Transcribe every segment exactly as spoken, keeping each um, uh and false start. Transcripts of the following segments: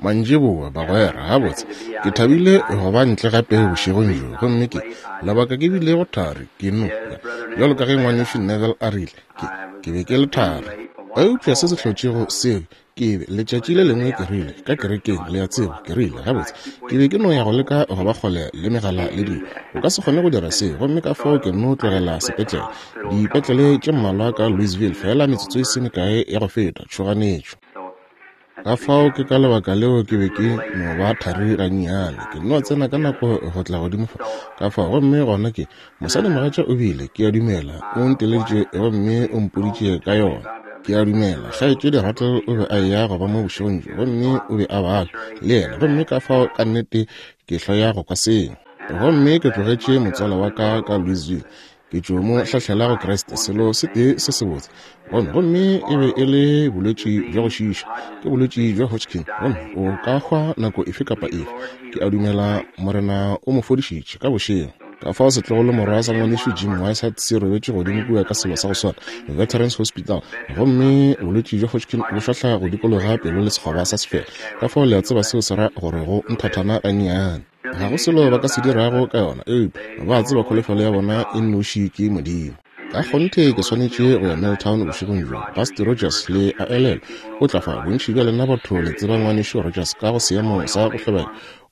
Mantšiboa, bagwera. Gabotse, ke thabile go ba ntle gape bošegong bjo. Gomme ke lebaka ke bilego thari, ke no bjalo ka ge ngwanešu Neville a rile, ke, ke be ke le thari. Eupša se se hlotšego seo ke be letšatši le lengwe ke rile ka kerekeng, le a tseba, ke rile gabotse ke be ke no ya go leka go ba kgole le megala le dilo. O ka se kgone go dira seo, gomme ka fao ke no tlogela sepetlele, dipetlele tše mmalwa ka Louisville, fela metsotso e se mekae ya go feta, tšhoganetšo. Ka fao ke ka lebaka leo ke be ke no ba thari gannyane, ke no tsena ka nako go tla godimo fa. Ka fao gomme gona ke mosadimogatša o bile, ke a dumela, o nteleditše gomme o mpoditše ka yona. Ke a dumela kgaetšedi Rattle o be a eya go ba mo bošegong bjo, gomme o be a babja le yena, gomme ka fao ka nnete ke hloya go kwa seo. Gomme ke tlogetše motswala wa ka ka Louisville, ke tšo mo hlahlela go Kriste, selo se tee se sebotse. Gomme gomme e be e le bolwetši bja go šiiša, ke bolwetši bja Hodgkin, gomme o ka hwa nako efe kapa efe. Ke a dumela Morena o mo fodišitše ka bošego. Ka fao setlogolo morwa sa ngwanešu Jim Whiteside se robetše godimo kua ka selo sa go swana, Veterans Hospital, gomme bolwetši bja Hodgkin bo šwahla go dikologa pelo le sekgoba sa sefela. Ka fao le a tseba seo se ra gore go nthathana gannyane. Ga go selo ba ka se dirago ka yona, eupša ba tseba kholofelo ya bona e nnoši ke Modimo. Ka kgonthe ke swanetše go ya Milltown bošegong bjo. Busty Rogers le a elelwa o tla fa. Bontši bja lena batho le tseba ngwanešu Rogers ka go seemo sa go hlobela,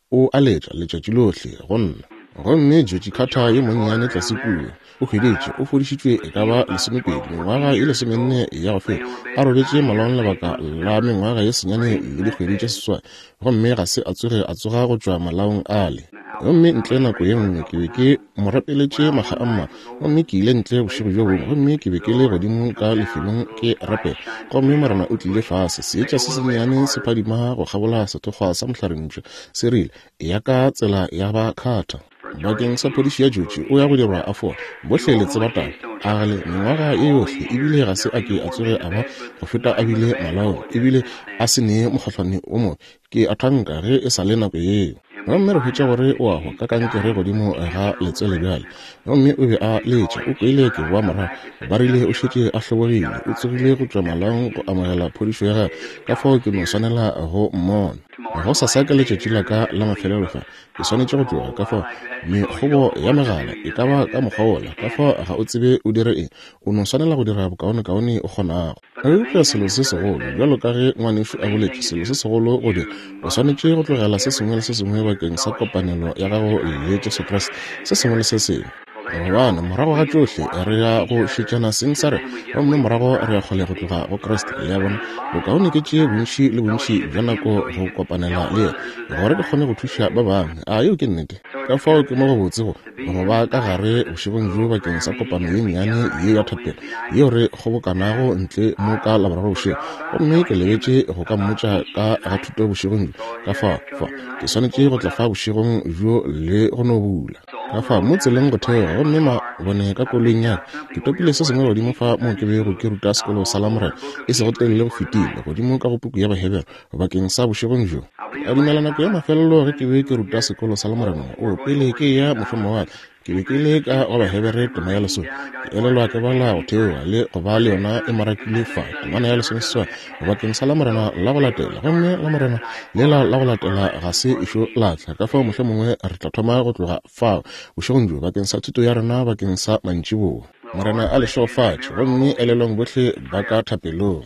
o a letša letšatši lohle go nna. Gomme Georgie Carter yo monnyane tlase kua o hweditše, o fodišitšwe e ka ba lesomepedi, mengwaga ye lesomenne ya go feta, a robetše malaong lebaka la mengwaga ye senyane le dikgwedi tše seswai, gomme ga se a tsoge a tsoga go tšwa malaong ale. Gomme ntle nako ye nngwe ke be ke mo rapeletše makga a mmalwa, gomme ke ile ntle bošego bjo bongwe, gomme ke be ke le godimo ka lefelong ke rapela, gomme Morena o tlile fase, seetša se sennyane se phadima go kgabola sethokgwa sa mohlarentšwa, se rile, ya ka tsela ya ba Carter. Bakeng sa phodišo ya Georgie o ya go dirwa a fola. Bohle le tseba taba. A gale mengwaga ye yohle ebile ga se a ke a tsoge a ba go feta a bile malaong, ebile a se nee mokgohlwane o mobe. Ke a thanka ge e sa le nako yeo. Gomme re hwetša gore o a hwa ka kankere godimo ga letswele bjale. Gomme o be a letša, o kwele ke boa morago, ba rile o šetše a hlobogile, o tsogile go tšwa malaong go amogela phodišo ya gagwe. Ka fao ke no swanela go mmona. Go sasa ke letšatši la ka la mafelelo fa, ke swanetše go tloga. Ka fao mekgobo ya megala e ka ba ka mokgwa wola, ka fao ga o tsebe o dire eng, o no swanela go dira bokaonekaone o kgonago. Eupša selo se segolo, bjalo ka ge ngwanešu a boletše, selo se segolo go dira, o swanetše go tlogela se sengwe le se sengwe bakeng sa kopanelo ya gago le Jesu Kriste, se sengwe le se sengwe. Gobane morago ga tšohle re ya go šetšana seng sa rena, gomme morago re ya kgole go tloga go Kriste. Le a bona, bokaone ke tšee bontši le bontši bja nako go kopanela le yena, gore ke kgone go thuša ba bangwe. A yeo ke nnete? Ka fao ke mo go botse go go ba ka gare bošegong bjo bakeng sa kopano ye nnyane ye ya thapelo yeo re kgobokanago ntle mo ka Laboraro bošego. Gomme ke lebetše go ka mmotša ka ga thuto bošegong bjo. Ka fao fa ke swanetše go tla fa bošegong bjo le go no bula. Ka fao mo tseleng go theoga, gomme mabone ka koloing ya ka, ke topile se sengwe godimo fa moo ke bego ke ruta sekolo sa Lamorena e sego telele go fetile, godimo ka go puku ya Bahebere bakeng sa bošegong bjo. Ke a dumela nako ya mafelelo ge ke be ke ruta sekolo sa Lamorena, o pele ke ya mošomo wa ka, ke be ke le ka go Bahebere tema ya lesome. Ke elelwa ke bala go theoga le go ba le yona e marakile fa temana ya lesomeseswai bakeng sa Lamorena la go latela, gomme Lamorena lela la go latela ga se ešo la tla. Ka fao mohlomongwe re tla thoma go tloga fao bošegong bjo bakeng sa thuto ya rena bakeng sa mantšiboa. Morena a le šegofatše, gomme elelwang bohle ba ka thapelong.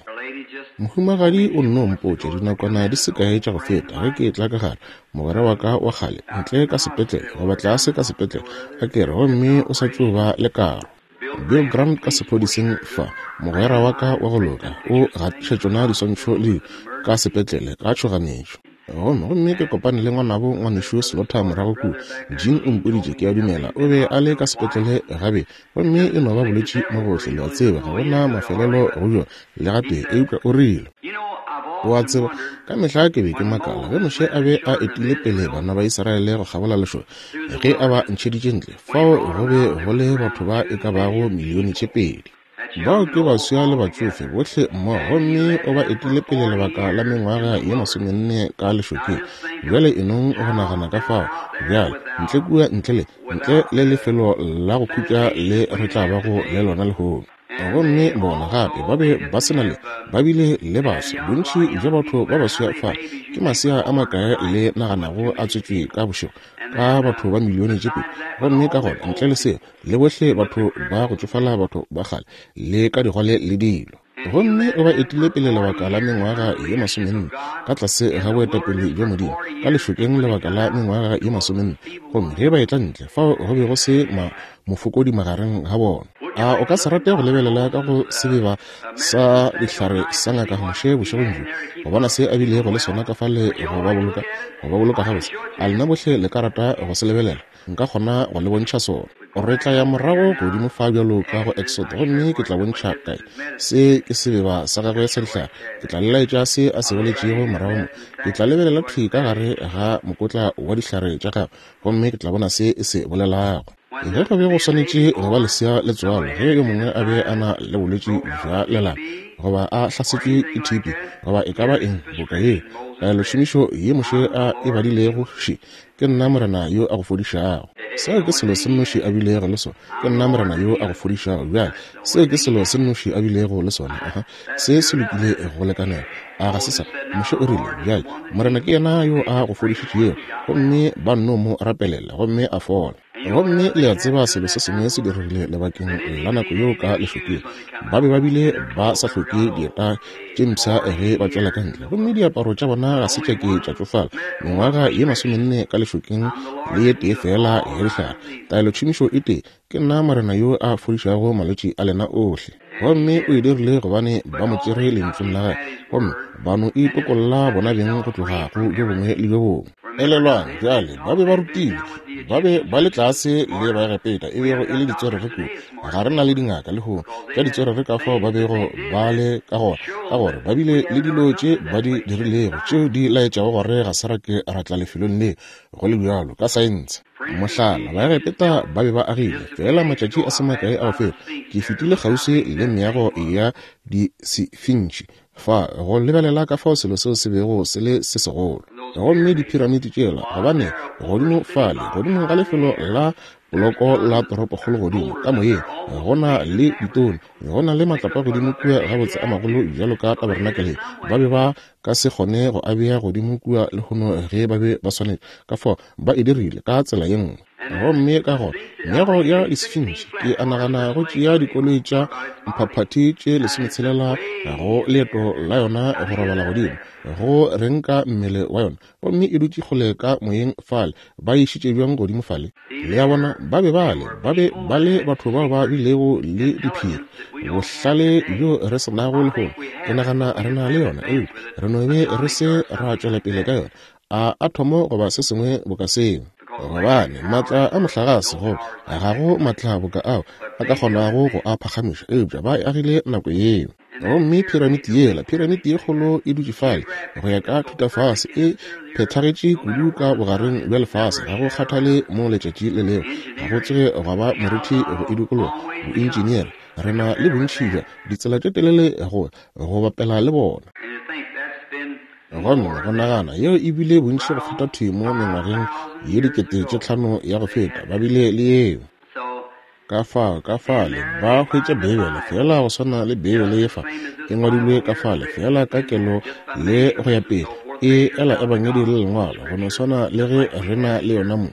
Mohumagadi o nno mpotša dinakwana di se kae tša go feta ge ke etla ka gare, mogwera wa ka wa kgale ntle ka sepetlele goba tlase ka sepetlele, a ke re, gomme o sa tšo ba le karo. Bill Grant ka sephodiseng fa, mogwera wa ka wa go loka, o gatiša tšona diswantšho le ka sepetlele ka tšhoganetšo. Gomme gomme ke kopane le ngwanabo ngwanešu Slaughter morago kua. Jean o mpoditše, ke a dumela o be a le ka sepetlele gabe, gomme e no ba bolwetši mo gohle, le a tseba, ga gona mafelelo go bjona le gatee, eupša o rile, o a tseba, ka mehla ke be ke makala ge Moshe a be a etile pele bana ba Israele go kgabola lešoka, ge a ba ntšheditše ntle, fao go be go le batho ba e ka bago milione tše pedi. Bao ke baswa le batšofe bohle mmogo, gomme o ba etile pele lebaka la mengwaga ye masomenne ka lešokeng. Bjale enong go nagana ka fao bjale ntle kua ntle le ntle le lefelo la go khutša le re tla bago le lona lehono. Gomme bona gape ba be ba se na le, ba bile le baswa, bontši bja batho ba baswa fa. Ke masea a makae le naganago a tswetšwe ka bošego? Ka batho ba milione tše pedi. Gomme ka gona ntle le seo, le bohle batho ba go tšofala, batho ba kgale, le ka digwale le dilo. Gomme o ba etile pele lebaka la mengwaga ye masomenne ka tlase ga boetapele bja Modimo ka lešokeng lebaka la mengwaga ye masomenne. Gomme ge ba etla ntle, fao go be go se ma mofokodi magareng ga bona. A o ka se rate go lebelela ka go sebeba sa dihlare sa ngaka Moshe bošegong bjo, go bona se a bilego le sona ka fale go ba boloka, go ba boloka gabotse? A lena bohle le ka rata go se lebelela? Nka kgona go le bontšha sona. Re tla ya morago godimo fa bjalo ka go Exodo, gomme ke tla bontšha kae se ke sebeba sa gagwe sa dihlare. Ke tla le laetša se a se boletšego morago mo. Ke tla lebelela thwi ka gare ga mokotla wa dihlare tša gagwe, gomme ke tla bona se e se bolelago. Ge go be go swanetše go ba lesea le tswalo, ge yo mongwe a be a na le bolwetši bja lelapa, goba a hlasetšwe ke T B, goba e ka ba eng boka ye, taelošomišo ye Moshe a e badilego še, ke nna Morena yo a go fodišago. Seo ke selo se nnoši a bilego le sona. Ke nna Morena yo a go fodišago. Bjale, seo ke selo se nnoši a bilego le sona. Aha, se se lokile go lekanela. A ga se sa? Moshe o rile, bjale, Morena ke yena yo a go fodišitšego. Gomme ba nno mo rapelela, gomme a fola. Gomme le a tseba selo se sengwe se diregile lebakeng la nako yeo ka lešokeng. Ba be ba bile ba sa hloke dieta tše mpsha ge ba tšwela ka ntle, gomme diaparo tša bona ga se tša ke tša tšofala. Mengwaga ye masomenne ka lešokeng le ye tee fela ya dihlare. Taelotšhomišo e tee, ke nna Morena yo a fodišago malwetši a lena ohle. Gomme o e dirile gobane ba mo tšere lentšung la gagwe, gomme ba no itokolla bona beng go tloga go bjo bongwe le bjo bongwe. Elelwang bjale, ba be ba rutilwe, ba be ba le tlase le Baegepeta, e bego e le ditswerere kudu. Ga re na le dingaka lehono tša ditswerere ka fao ba bego ba le ka gona, ka gore ba bile le dilo tše ba di dirilego tšeo di laetšago gore ga se ra ke ra tla lefelong le go le bjalo ka saense. Mohlala, Baegepeta ba be ba agile fela matšatši a se makae a go feta. Ke fetile kgauswi le meago ya disefintši fa go lebelela ka fao selo seo se bego se le se segolo. Gomme diphiramiti tšela, gobane godimo fale, godimo ga lefelo la poloko la toropokgolo godimo ka moyeng, go na le ditone, go na le matlapa godimo kua gabotse a magolo bjalo ka tabernakeleng. Ba be ba ka se kgone go a bea godimo kua lehono ge ba be ba swanetše, ka fao ba e dirile ka tsela ye nngwe. Gomme ka gona meago ya disefintši, ke a nagana go tšea dikoloi tša mphaphathi tše lesometshelela go leeto la yona go robala godimo, go renka mmele wa yona, gomme e dutše kgole ka moyeng fale. Ba išitše bjang godimo fale? Le a bona, ba be ba le, ba be ba le batho bao ba bilego le diphiri, bohlale bjo re se nago lehono. Ke nagana re na le yona, eupša re no be re se ra tšwela pele ka yona. A athomo goba se sengwe boka seo. Gobane maatla a mohlagase go ga go maatla boka ao a ka kgonago go a phagamiša, eupša ba e agile nako yeo. Gomme phiramiti yela, phiramiti ye kgolo e dutše fale go ya ka thutafase, e phethagetše kudu ka bogareng bja lefase, ga go kgathale mo letšatši le lego, ga go tsoge gwa ba morithi go e dikologa. Boentšeneere re na le bontši bja ditsela tše telele go go bapela le bona. Gomme go nagana yeo e bile bontši go feta thwi mo mengwageng ye dikete tše tlhano ya go feta, ba bile le yeo. Ka fao, ka fale ba hwetša Beibele fela go swana le Beibele ye fa e ngwadilwe ka fale fela ka kelo le go ya pele, e ela ebangedi le lengwalo go no swana le ge re na le yona mo.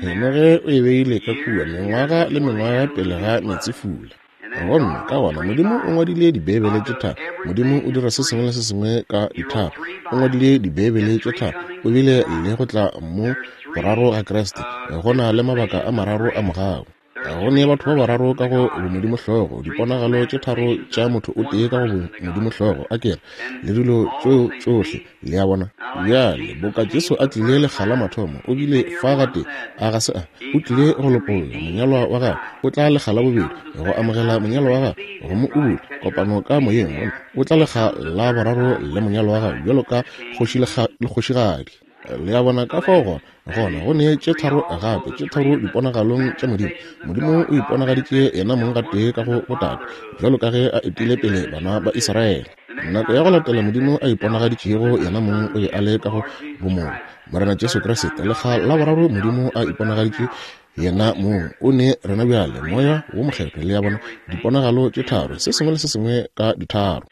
Henoge o e beile ka kua mengwaga le mengwaga pele ga meetsefula. Gomme ka gona Modimo o ngwadile dibeibele tše tharo. Modimo o dira se sengwe le se sengwe ka ditharo. O ngwadile dibeibele tše tharo. O bile le go tla mo boraro ga Kriste. Go na le mabaka a mararo a mogau. Go ne batho ba bararo ka go bomodimo hlogo, diponagalo tše tharo tša motho o tee ka go bomodimo hlogo, a kere le dilo tšeo tšohle, le a bona. Bjale boka Jesu a tlile lekga la mathomo, o bile fa gate, a ga se a, o tlile go lopolla monyalwa wa gagwe, o tla lekga la bobedi go amogela monyalwa wa gagwe, go mo ubula kopano ka moyeng, o tla lekga la boraro le monyalwa wa gagwe bjalo ka kgoši le kgošigadi. Le a bona ka fao gona, gona go ne tše tharo gape, tše tharo diponagalong tša Modimo. Modimo o iponagaditše yena mong gatee ka go botate, bjalo ka ge a etile pele bana ba Israele. Nako ya go latela Modimo a iponagaditšego yena mong o be a le ka go bomong, Morena Jesu Kriste. Lekga la boraro Modimo a iponagaditše Yena mong o ne rena bjale Moya wo Mokgethwa, le a bona, diponagalo tše tharo, se sengwe le se sengwe ka ditharo.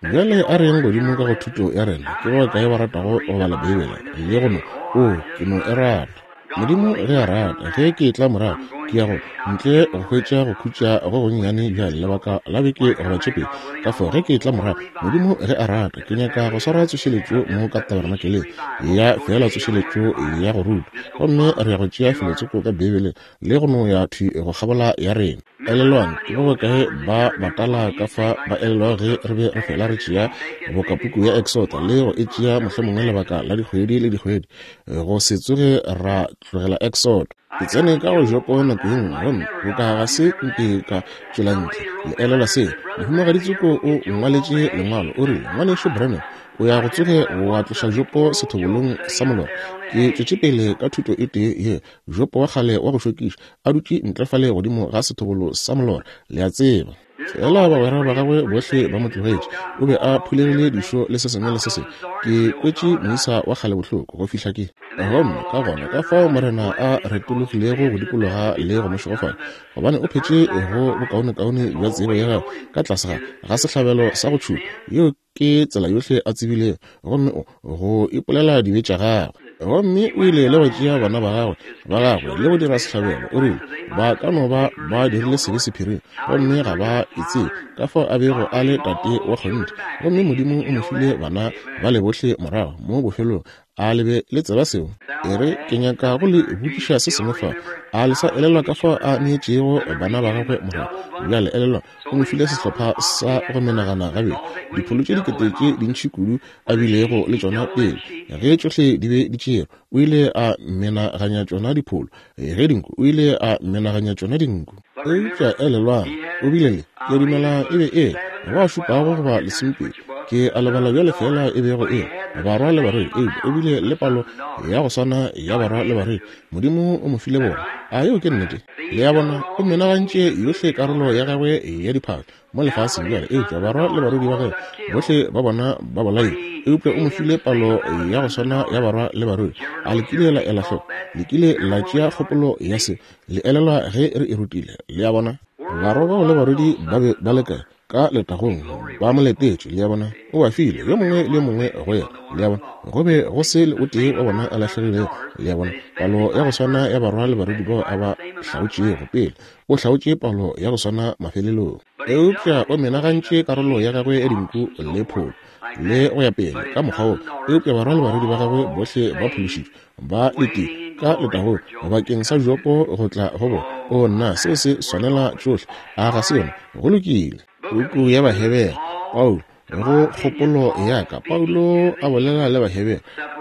Bjale a re yeng godimo ka go thuto ya rena. Ke ba bakae ba ratago go bala Beibele le go no, oo, ke no e rata. Modimo ge a rata, ge ke etla morago, ke ya go ntle go hwetša go khutša go gonnyane bjale lebaka la beke goba tše pedi. Ka fao ge ke etla morago, Modimo ge a rata, ke nyaka go swara tsošeletšo mo ka tabernakeleng ya feela tsošeletšo ya go ruta. Gomme re ya go tšea felotsoko ka Beibeleng le go no ya thwi go kgabola ya rena. Elelwang, ke ba bakae ba batala ka fa ba elelwago ge re be re fela re tšea boka puku ya Exota le go e tšea mohlomongwe lebaka la dikgwedi le dikgwedi go se tsoge ra tlogela Exoda. Ke tsene ka go Jopo nako ye nngwe gomme boka ga se nke ka tšwela ntle. Le elelwa seo? Mohumagadi Tsoko o nngwaletše lengwalo, o rile, Ngwanešu Branham, o ya go tsoge wa tloša Jopo sethobolong sa molora. Ke tšwetše pele ka thuto e tee ye, Jopo wa kgale wa go šokiša a dutše ntle fale godimo ga sethobolo sa molora, le a tseba. Fela bagwera ba gagwe bohle ba mo tlogetše. O be a phulegile dišo le se sengwe le se sengwe. Ke kwetše moisa wa kgale bohloko go fihla ke. Gomme ka gona ka fao Morena a retologilego go dikologa le go mo šegofatša, gobane o phetše go bokaonekaone bja tsebo ya gagwe ka tlase ga ga sehlabelo sa go tšhuma. Yeo ke tsela yohle a tsebilego, gomme o go ipolela dibe tša gagwe. Gomme o ile le go tšea bana ba gagwe ba gagwe le go dira sehlabelo. O rile ba ka no ba ba dirile sebe sephiring, gomme ga ba e tsebe ka fao a bego a le tate wa kgonthe. Gomme Modimo o mo file bana ba le bohle morago mo bofelong. A le be le tseba seo? E re, ke nyaka go le botšiša se sengwe fa. A le sa elelwa ka fao a neetšego bana ba gagwe morago? Bjale elelwa, o mo file sehlopha sa go menagana gabedi, dipholo tše dikete tše dintši kudu a bilego le tšona pele. Ge tšohle di be di tšerwe, o ile a menaganya tšona dipholo. Ge dinku, o ile a menaganya tšona dinku. Eupša elelwang, o bile le, ke a dumela e be e le ba šupago goba lesomepedi, ke a lebala bjale fela e bego e barwa le barwedi, eupša o bile le palo ya go swana ya barwa le barwedi. Modimo o mo file bona. A yeo ke nnete? Le a bona, o menagantše yohle karolo ya gagwe ya diphahlo mo lefaseng bjale, eupša barwa le barwedi ba gagwe bohle ba bona ba bolailwe. Eupša o mo file palo ya go swana ya barwa le barwedi. A le kile la ela hloko? Le kile la tšea kgopolo ya se? Le elelwa ge re e rutile? Le a bona, barwa bao le barwedi ba be ba le kae? Ka letagong ba mo letetše. Le a bona, o ba file yo mongwe le yo mongwe go yena. Le a bona, go be go se le o tee wa bona a lahlegilego. Le a bona, palo ya go swana ya barwa le barwedi bao a ba hlaotšego pele, o hlaotše palo ya go swana mafelelong. Eupša o menagantše karolo ya gagwe ya dinku le pholo le go ya pele ka mokgwa wo. Eupša barwa le barwedi ba gagwe bohle ba phološitšwe, ba letile ka letagong bakeng sa Jopo go tla go bona. O nna, seo se swanela tšohle, a ga se yona? Go lokile. Puku ya Bahebere, Paulo, go kgopolo ya ka, Paulo a bolela le Bahebere,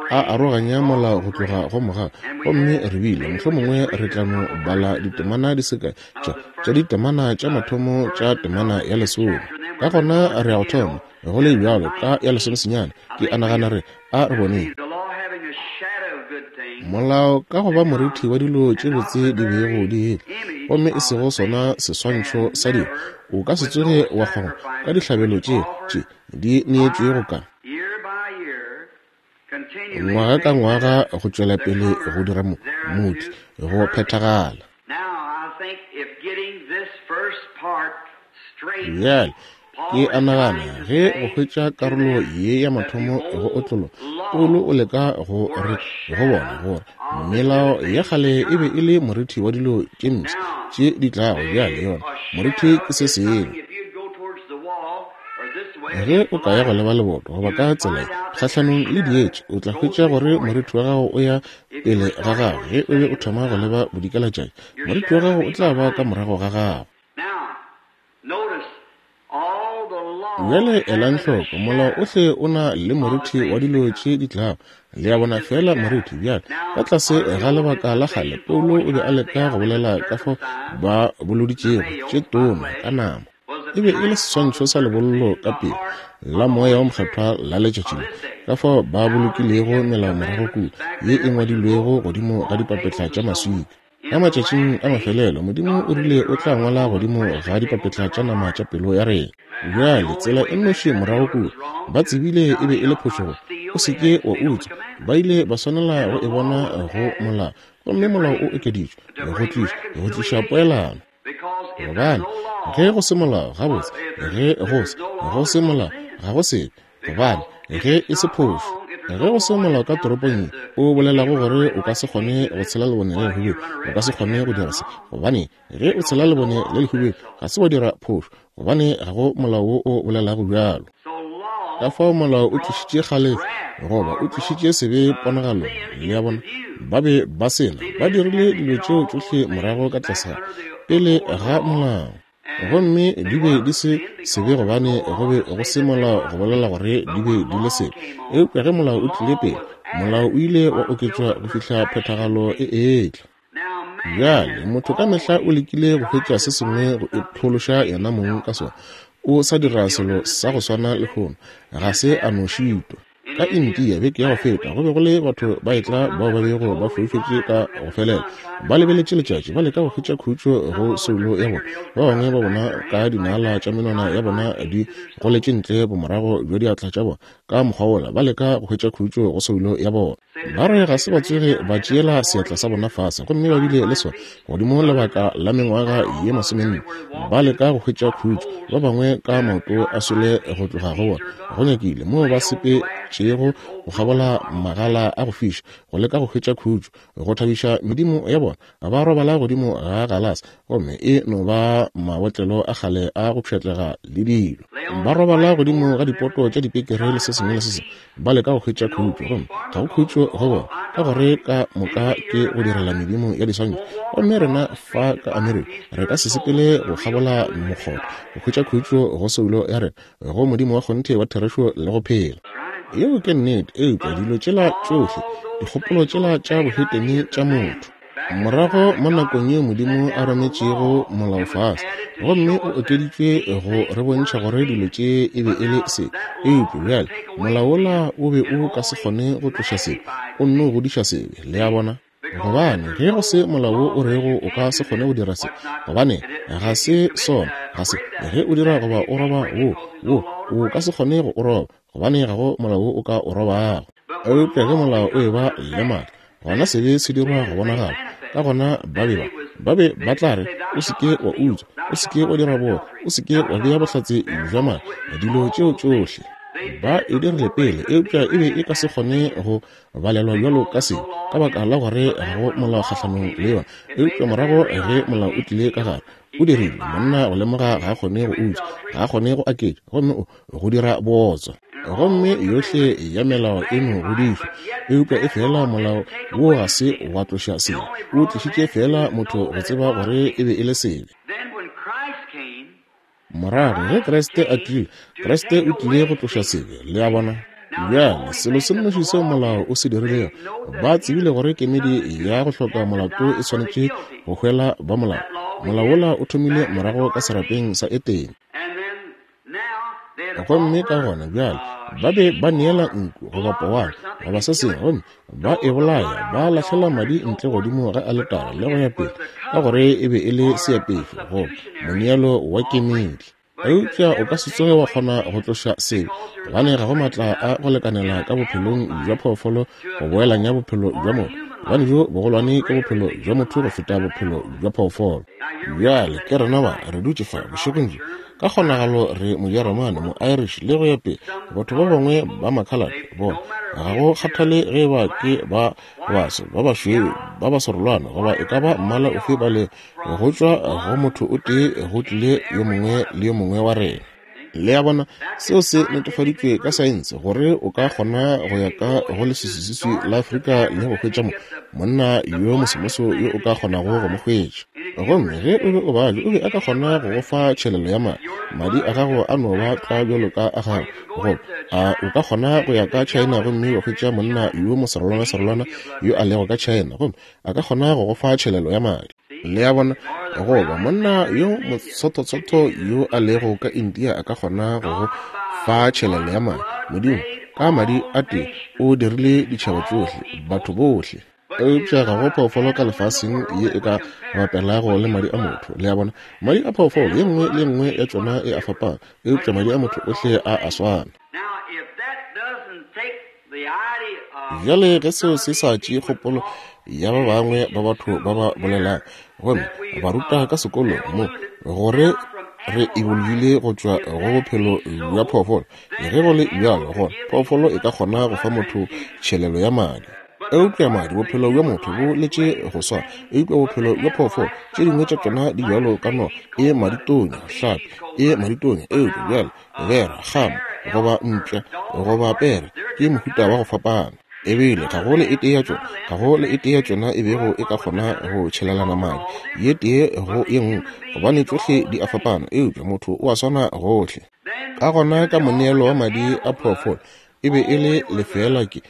a aroganya molao go tloga go mogau. Gomme re bile mohlomongwe re tla no bala ditemana di se kae tša tša ditemana tša mathomo tša temana ya lesome. Ka gona re ya go thoma go le bjalo ka ya lesomesenyane. Ke a nagana re a re boneng. Molao ka go ba morithi wa dilo tše botse di bego di etla, gomme e sego sona seswantšho sa dilo, o ka se tsoge wa kgona ka dihlabelo tše tše di neetšwego ka ngwaga ka ngwaga go tšwela pele go dira motli go phethagala. Bjale ke a nagana ge go hwetša karolo ye ya mathomo go otlolo, Paulo o leka go re go bona gore melao ya kgale e be e le morithi wa dilo tše mpsha tše di tlago. Bjale yona morithi ke se sengwe. Ge o ka ya go leba leboto goba ka tsela kgahlanong le dietše, o tla hwetša gore morithi wa gago o ya pele ga gago. Ge o be o thoma go leba bodikelatšatši, morithi wa gago o tla ba ka morago ga gago. Bjale elang hloko, molao ohle o na le morithi wa dilo tše di tlago. Le a bona, fela morithi. Bjale ka tlase ga lebaka la kgale, Paulo o be a leka go bolela ka fao ba boloditšego tše tona ka nama. E be e le seswantšho sa lebollo ka pele la Moya wa Mokgethwa la letšatši le, ka fao ba bolokilego melao morago kua ye e ngwadilwego godimo ga dipapetla tša maswika. Ka matšatšing a mafelelo, Modimo o rile o tla ngwala godimo ga dipapetla tša nama tša pelo ya rena. Bjale tsela e nnoši morago kua, ba tsebile e be e le phošo, o se ke wa utswa. Ba ile ba swanela go e bona go molao, Gomme molao o okeditšwe go tliša go tliša poelano. Gobane ge go se molao, gabotse, ge go se go se molao, ga go sebe, gobane ge e se phošo. Ge go se molao ka toropong ye o bolelago gore o ka se kgone go tshela lebone le lehubedu, o ka se kgone go dira se, gobane ge o tshela lebone le lehubedu ga se wa dira phošo, gobane ga go molao wo o bolelago bjalo. Ka fao molao o tlišitše kgalefo, goba o tlišitše sebe ponagalong. Le a bona, ba be ba sena, ba dirile dilo tšeo tšohle morago ka tlase ga pele ga molao. Gomme di be di se sebe gobane go be go se molao go bolela gore di be di le sebe. Eupša ge molao o tlile pele, molao o ile wa oketšwa go fihla phethagalo e etla. Bjale motho ka mehla o lekile go hwetša se sengwe go iphološa yena mong ka sona. O sa dira selo sa go swana lehono, ga se a no šitwa. Ka India beke ya go feta go be go le batho ba etla bao ba bego ba foufetše ka go felela, ba lebeletše letšatši, ba leka go hwetša khutšo go soulo ya bona. Ba bangwe ba bona ka dinala tša menwana ya bona di goletše ntle bomorago bja diatla tša bona ka mokgwa wola, ba leka go hwetša khutšo go soulo ya bona. Ba re ga se ba tsoge ba tšeela seatla sa bona fase, gomme ba bile le sona godimo lebaka la mengwaga ye masomenne, ba leka go hwetša khutšo. Ba bangwe ka maoto a swele go tloga go bona, go nyakile moo ba sepetšego go kgabola magala a go fiša go leka go hwetša khutšo, go thabiša medimo ya bona. Ba robala godimo ga galase, gomme e no ba mabotlelo a kgale a go pšhatlega le dilo. Ba robala godimo ga dipoto tša dipekere le se sengwe le se sengwe, ba leka go hwetša khutšo, gomme ga go khutšo go bona, ka gore ka moka ke go direla medimo ya diswantšho. Gomme rena fa ka Amerika re ka se sepele go kgabola mokgotho go hwetša khutšo go soulo ya rena, go Modimo wa kgonthe wa therešo le go phela. Yeo ke nnete, eupša dilo tšela tšohle, dikgopolo tšela tša bohetene tša motho. Morago mo nakong yeo Modimo a rometšego molao fase, gomme o okeditšwe go re bontšha gore dilo tše e be e le sebe. Eupša bjale molao wola o be o ka se kgone go tloša sebe, o nno godiša sebe. Le a bona? Gobane ge go se molao wo o rego o ka se kgone go dira se, gobane ga se sona, ga se ge o dira goba o roba wo wo o ka se kgone go o roba, gobane ga go molao wo o ka o robago. Eupša ge molao o eba le maatla, gona sebe se dirwa go bonagala. Ka gona ba be ba ba be ba tla re, o se ke wa utswa, o se ke wa dira bootswa, o se ke wa bea bohlatse bja maaka, dilo tšeo tšohle ba e dirile pele, eupša e be e ka se kgone go balelwa bjalo ka sebe, ka baka la gore ga go molao kgahlanong le yona. Eupša morago ge molao o tlile ka gare, o dirile monna go lemoga ga a kgone go utswa, ga a kgone go aketša, gomme o go dira bootswa. Gomme yohle ya melao e no godišwa, eupša e fela molao wo ga se wa tloša sebe, o tlišitše fela motho go tseba gore e be e le sebe. Morago ge Kriste a tlile, Kriste o tlile go tloša sebe. Le a bona? Bjale selo se nnoši seo molao o se dirilego, ba tsebile gore kemedi ya go hloka molato e swanetše go hwela ba molao. Molao wola o thomile morago ka serapeng sa Etene. Gomme ka gona bjale ba be ba neela nku goba powana goba se sengwe, gomme ba e bolaya, ba lahlela madi ntle godimo ga aletara le go ya pele, ka gore e be e le seapešo goba moneelo wa kemedi. Eupša o ka se tsoge wa kgona go tloša sebe, gobane ga go maatla a go lekanela ka bophelong bja phoofolo go boelanya bophelo bja motho, gobane bjo bogolwane ke bophelo bja motho go feta bophelo bja phoofolo. Bjale ke rena ba re dutše fa bošegong bjo, ka kgonagalo re Mojeremane, mo-Irish le go ya pele, batho ba bangwe ba makhalate bona, ga go kgathale ge ba ke ba baso, ba bašweu, ba baserolwana, goba e ka ba mmala ofe ba le, go tšwa go motho o tee go tlile yo mongwe le yo mongwe wa rena. Le a bona, seo se netefaditšwe ka saense gore o ka kgona go ya ka go leswiswiswi la Afrika le go hwetša mo monna yo mosomoso yo o ka kgonago go mo hwetša. Gomme ge o be o babja, o be a ka kgona go go fa tšhelelo ya madi, madi a gago a no ba tlwa bjalo ka a gago. Goba a o ka kgona go ya ka China gomme wa hwetša monna yo moserolwana-serolwana yo a lego ka China, gomme a ka kgona go go fa tšhelelo ya madi. Le a bona? Goba monna yo motsototsotho yo a lego ka India a ka kgona go go fa tšhelelo ya madi. Modimo ka madi a tee o dirile ditšhaba tšohle, batho bohle. Eupša ga go phoofolo ka lefaseng ye e ka bapelago le madi a motho. Le a bona? Madi a phoofolo ye nngwe le ye nngwe ya tšona e a fapana, eupša madi a motho ohle a a swana. Bjale ge seo se sa tšee kgopolo ya ba bangwe ba batho ba ba bolelang gomme ba ruta ka sekolong mo gore re ebolile go tšwa go bophelo bja phoofolo, ge go le bjalo gona phoofolo e ka kgona go fa motho tšhelelo ya madi. Eupša madi, bophelo bja motho bo letše go swana, eupša bophelo bja phoofolo tše dingwe tša tšona di bjalo ka noga e maditonya, hlapi e maditonya, eupša bjale bera, kgama goba mpša goba pere ke mohuta wa go fapana. Ebile ga go le e tee ya tšona, ga go le e tee ya tšona e bego e ka kgona go tšhelelana madi ye tee go ye nngwe, gobane tšohle di a fapana, eupša motho o a swana gohle. Ka gona ka moneelo wa madi a phoofolo e be e le lefeela ke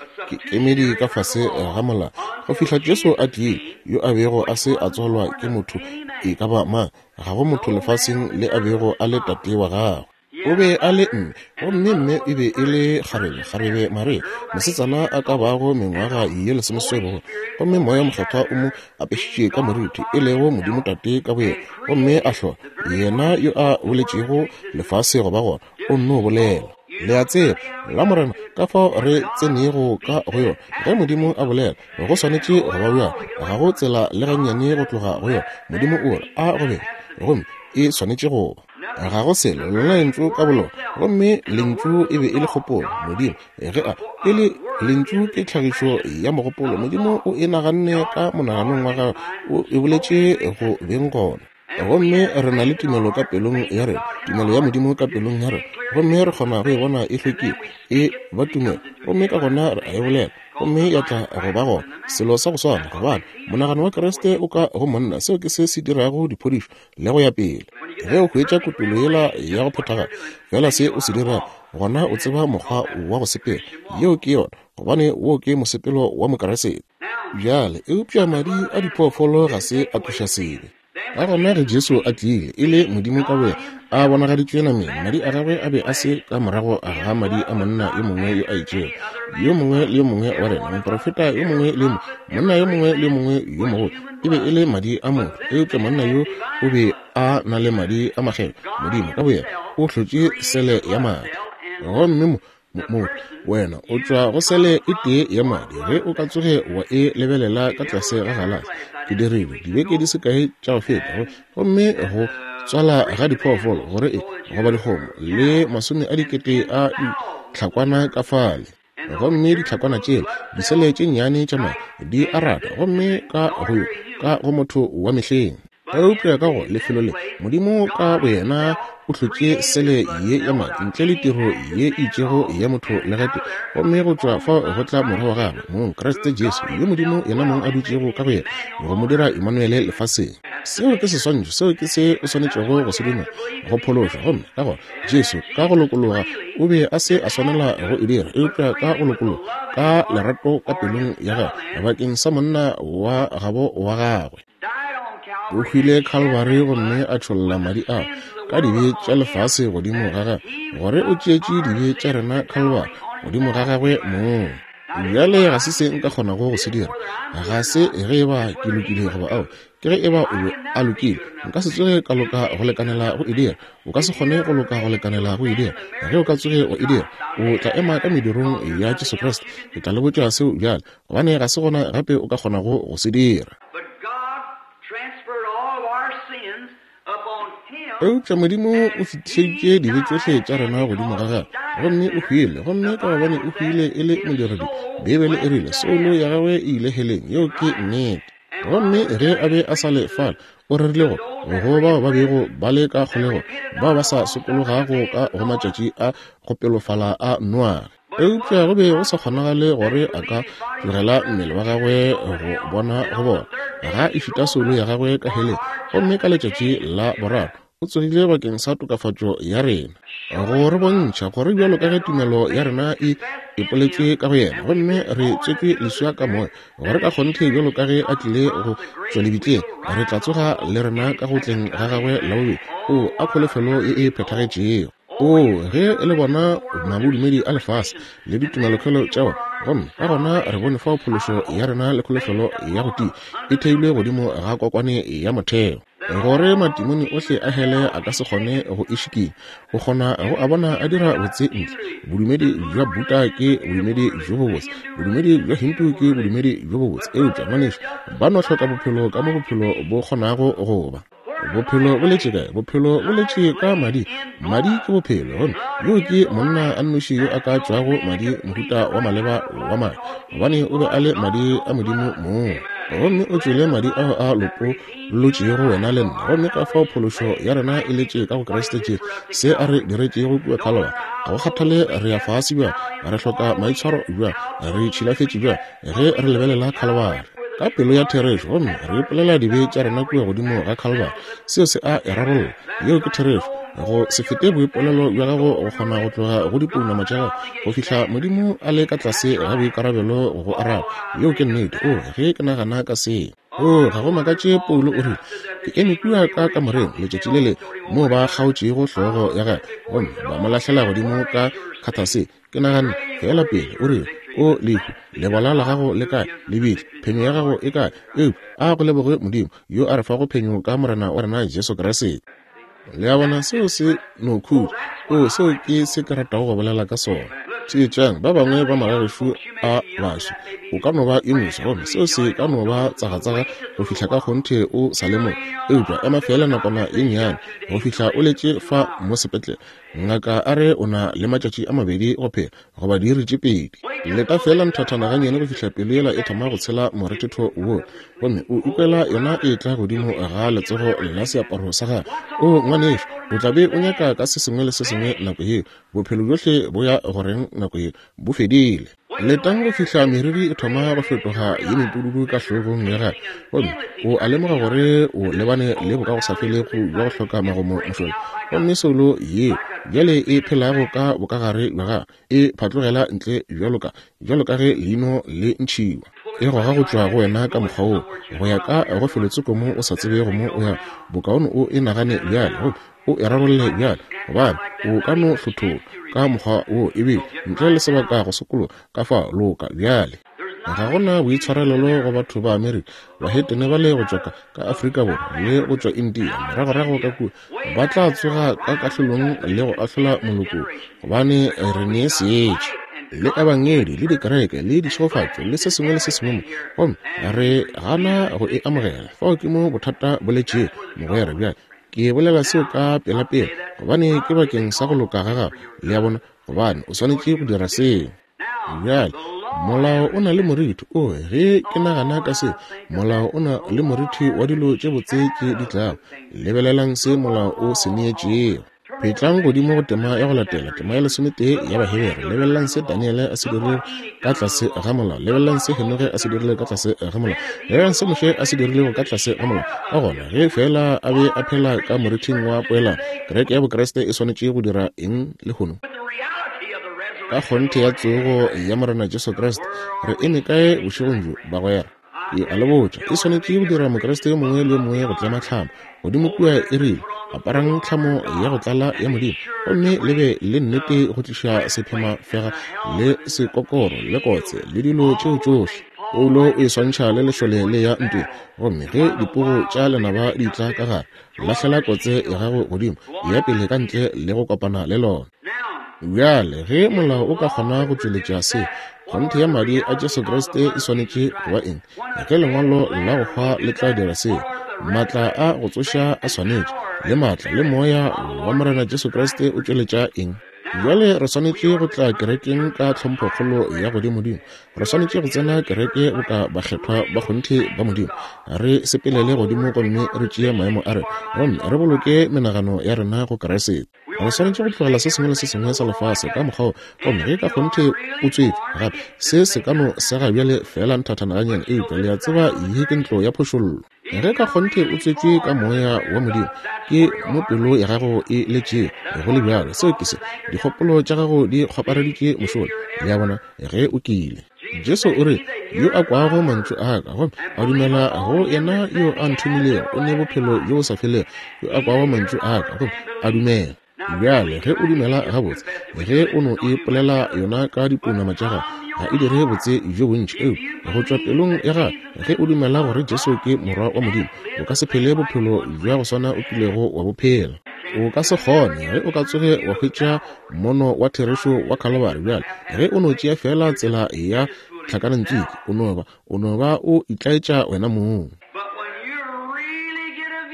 kemedi ka fase ga molao go fihla Jesu a tlile, yo a bego a se a tswalwa ke motho e ka ba mang, ga go motho lefaseng le a bego a le tate wa gagwe. O be a le mme, gomme mme e be e le kgarebe, kgarebe Maria, mosetsana a ka bago mengwaga ye lesomeseswai bogolo, gomme Moya Mokgethwa o mo apešitše ka moriti, e lego Modimo Tate ka boyena, gomme a hlola yena yo a boletšego lefase go ba gona, o nno bolela. Le a tseba la Morena ka fao re tsenego ka go yona. Ge Modimo a bolela, go swanetše go ba bjalo, ga go tsela le gannyane go tloga go yona. Modimo o re a go be, gomme e swanetše go ba. Ga go selo lona lentšu ka bolona, gomme lentšu e be e le kgopolo. Modimo ge a e le lentšu ke tlhagišo ya mogopolo. Modimo o e naganne ka monaganong wa gagwe, o e boletše go beng gona. Gomme re na le tumelo ka pelong ya rena, tumelo ya Modimo ka pelong ya rena, gomme re kgona go e bona e hlwekile, e ba tumelo, gomme ka gona re a e bolela, gomme ya tla go ba gona. Selo sa go swana, gobane monagano wa Kriste o ka go monna, seo ke se se dirago diphodišo le go ya pele. Ge o hwetša kutolo yela ya go phethagala, fela se o se dirago, gona o tseba mokgwa wa go sepela. Yeo ke yona, gobane wo ke mosepelo wa Mokriste. Bjale, eupša madi a diphoofolo ga se a tloša sebe. Ka gona ge Jesu a tlile e le Modimo ka boyena a bonagaditšwe nameng, madi a gagwe a be a se ka morago ga madi a monna yo mongwe yo a itšego, yo mongwe le yo mongwe wa rena, moprofeta yo mongwe le yo mongwe, monna yo mongwe le yo mongwe yo mogolo, e be e le madi a motho. Eupša monna yo o be a na le madi a makgethwa. Modimo ka boyena o hlotše sele ya madi. Gomme mo motho, wena o tšwa go sele e tee ya madi. Ge o ka tsoge wa e lebelela ka tlase ga galase, ke dirile dibeke di se kae tša go feta, gomme go tswala ga diphoofolo gore e goba dikgomo le masome a dikete a ditlhakwana ka fale, gomme ditlhakwana tšela disele tše nnyane tša madi di a rata, gomme ka go yo ka go motho wa mehleng. Eupša ka go lefelo le, Modimo ka boyena o hlotše sele ye ya madi ntle le tiro ye e itšego ya motho le gate, gomme go tšwa fao go tla morwa wa gagwe mong Kriste Jesu, yo Modimo yena mong a dutšego ka go yena go mo dira Emmanuele lefaseng. Seo ke seswantšho, seo ke se o swanetšego go se dumela go phološwa. Gomme ka gona Jesu ka go lokologa o be a se a swanela go e dira, eupša ka go lokologa ka lerato ka pelong ya gagwe bakeng sa monna wa gabo wa gagwe, o hwile Calvary gomme a tšholla madi ao ka dibe tša lefase godimo ga gagwe, gore o tšeetše dibe tša rena Calvary godimo ga gagwe mong. Bjale ga se se nka kgonago go se dira, ga se ge e ba ke lokile goba ao, ke ge e ba o be a lokile. Nka se tsoge ka loka go lekanela go e dira, o ka se kgone go loka go lekanela go e dira. Ge o ka tsoge wa e dira, o tla ema ka medirong ya Jesu Kriste. Ke tla le botša seo bjale, gobane ga se gona gape o ka kgonago go se dira. Eupša Modimo o fetišeditše dibe tšohle tša rena godimo ga gagwe, gomme o hwile, gomme ka gobane o hwile e le modiredi, Beibele e rile soulo ya gagwe e ile heleng. Yeo ke nnete. Gomme ge a be a sa le fale, o rerile go go bao ba bego ba le ka kgolegong, bao ba sa sokologago ka go matšatši a go pelofala a Noage. Eupša go be go sa kgonagale gore a ka tlogela mmele wa gagwe go bona go bona ga e fita soulo ya gagwe ka heleng. Gomme ka letšatši la boraro o tsogile bakeng sa tokafatšo ya rena, go re bontšha gore bjalo ka ge tumelo ya rena e ipoletšwe ka go yena, gomme re tswetšwe leswa ka moya, gore ka kgonthe bjalo ka ge a tlile go tšwa lebitleng, re tla tsoga le rena ka go tleng ga gagwe la bobedi. O a kholofelo ye e phethagetšego. O ge le bona mabodumedi a lefase le ditumelokhwelo tša bona, gomme ka gona re bone fao phološo ya rena le kholofelo ya go tia e theilwe godimo ga kokwane ya motheo. Gore matimone ohle a hele a ka se kgone go e šikinya. O kgona go a bona a dira botse ntle. Bodumedi bja Buddha ke bodumedi bjo bobotse, bodumedi bja Hindu ke bodumedi bjo bobotse, eupša ngwanešu ba no hloka bophelo ka mo bophelo bo kgonago go ba. Bophelo bo letše kae? Bophelo bo letše ka madi. Madi ke bophelo. Gomme yo ke monna a nnoši yo a ka tšwago madi, mohuta wa maleba wa madi, gobane o be a le madi a Modimo mong. Gomme o tšwele madi ao a lopolotšego wena le nna. Gomme ka fao phološo ya rena e letše ka go Kriste Jesu, se a re diretšego kua Calvary. Ga go kgathale re ya fase bjang, re hloka maitshwaro bjang, re tšhilafetše bjang, ge re lebelela Calvary ka pelo ya therešo gomme re ipolela dibe tša rena kua godimo ga Calvary, seo se a e rarolla. Yeo ke therešo. Go se fete boipolelo bja gago go kgona go tloga go dipounama tša gago go fihla Modimo a le ka tlase ga boikarabelo go go araba. Yeo ke nnete. O, ge ke nagana ka se, o, ga go makatše Paulo o rile, ke eme kua ka kamoreng letšatši le le moo ba kgaotšego hlogo ya gagwe gomme ba mo lahlela godimo ka khathase. Ke nagane fela pele, o rile, o lehu, lebola la gago le kae? Lebitla, phenyo ya gago e kae? Eupša a go leboge Modimo yo a re fago phenyo ka Morena wa rena Jesu Kriste. Le a bona, seo se no khutša. O, seo ke se ke ratago go bolela ka sona. Theetšang, ba bangwe ba magagešu a baswi, o ka no ba yo moswa, gomme seo se ka no ba tsagatsaga go fihla ka kgonthe o sa le mo. Eupša ema fela nakwana ye nnyane go fihla o letše fa mo sepetlele. Ngaka a re o na le matšatši a mabedi go phela, goba diiri tše pedi. Leta fela nthathana gannyane go fihla pelo yela e thoma go tshela morethetho wo, gomme o ikwela yona e tla godimo ga letsogo la seaparo sa gagwe. O ngwanešu, o tla be o nyaka ka se sengwe le se sengwe nako yeo. Bophelo bjohle bo ya goreng nako yeo, bo fedile. Letang go fihla meriri e thoma go fetoga ye mepududu ka hlogong ya gagwe, gomme o a lemoga gore o lebane le bokagosafelego bja go hloka magomo mošola. Gomme soulo yeo bjale e phelago ka bokagare bja gagwe e phatlogela ntle bjalo ka bjalo ka ge leino le ntšhiwa, e goga go tšwa go wena ka mokgwa woo go ya ka go felotsoko mo o sa tsebego mo o ya. Bokaone o e nagane bjale, gomme o e rarolle bjale, gobane o ka no hlothola ka mokgwa wo ebile ntle le sebaka go sokologa. Ka fa loka bjale. Ga gona boitshwarelelo go batho ba Amerika, bahetene ba le go tšwa ka Afrika Borwa le go tšwa India moragorago ka kua, ba tla tsoga ka kahlolong le go ahlola moloko, gobane re ne seetša le ebangedi le dikereke le ditšhegofatšo le se sengwe le se sengwe mo, gomme re gana go e amogela. Fao ke mo bothata bo letšego, mogwera. Bjale ke bolela seo ka pelapela, gobane ke bakeng sa go loka ga gago, le a bona, gobane o swanetše go dira seo. Bjale molao o na le morithi. O, ge ke nagana ka se, molao o na le morithi wa dilo tše botse tše di tlago. Lebelelang se molao o se neetšego. Phetlang godimo go tema ya go latela, tema ya lesometee ya Bahebere. Lebelelang se Daniele a se dirilego ka tlase ga molao. Lebelelang se Henoge a se dirilego ka tlase ga molao. Lebelelang se Moshe a se dirilego ka tlase ga molao. Ka gona ge fela a be a phela ka morithing wa poelano, kereke ya Bokriste e swanetše go dira eng lehono? Ka kgonthe ya tsogo ya Morena Jesu Kriste, re eme kae bošegong bjo, bagwera? Ke a le botša, e swanetše go dira Mokriste yo mongwe le yo mongwe go tlema tlhamo godimo kua. E rile, aparang tlhamo ya go tlala ya Modimo, gomme le be le nnete go tliša sephemafega le sekokoro le kotse le dilo tšeo tšohle. Paulo o e swantšha le lešole le ya ntweng, gomme ge dipogo tša lenaba di tla ka gare, lahlela kotse ya gago godimo, ya pele ka ntle le go kopana le lona. Bjale ge molao o ka kgona go tšweletša se, kgonthe ya madi a Jesu Kriste e swanetše go ba eng? Ge lengwalo la go hwa le tla dira seo, maatla a go tsoša a swanetše, le maatla le moya wa Morena Jesu Kriste o tšweletša eng? Bjale re swanetše go tla kerekeng ka tlhomphokgolo ya godimodimo. Re swanetše go tsena kereke boka bakgethwa ba kgonthe ba Modimo. Re sepelele godimo gomme re tšee maemo a rena, gomme re boloke menagano ya rena go Kriste. Re swanetše go tlogela se sengwe le se sengwe sa lefase ka mokgwa wo, gomme ge ka kgonthe o tswetšwe gape, se se ka no sega bjale fela nthathana gannyane, eupša le a tseba ye ke ntlo ya phošollo. Ge ka kgonthe o tswetšwe ka moya wa Modimo, ke mo pelo ya gago e letšego go le bjalo. Seo ke se, dikgopolo tša gago di kgwapareditše mošola, le a bona, ge o kile. Jesu o re, yo a kwago mantšu a ka gomme a dumela go yena yo a nthomilego o ne bophelo bjo bo sa felego. Yo a kwago mantšu a ka gomme a dumela. Bjale ge o dumela gabotse, ge o no ipolela yona ka dipounama tša gago, ga e dire botse bjo bontši. Eupša go tšwa pelong ya gago, ge o dumela gore Jesu ke Morwa wa Modimo, o ka se phele bophelo bja go swana o kilego wa bo phela. O ka se kgone ge o ka tsoge wa hwetša mono wa therešo wa Calvary bjale. Ge o no tšea fela tsela ya tlhakanantswiki, o no ba o no ba o itlaetša wena mong.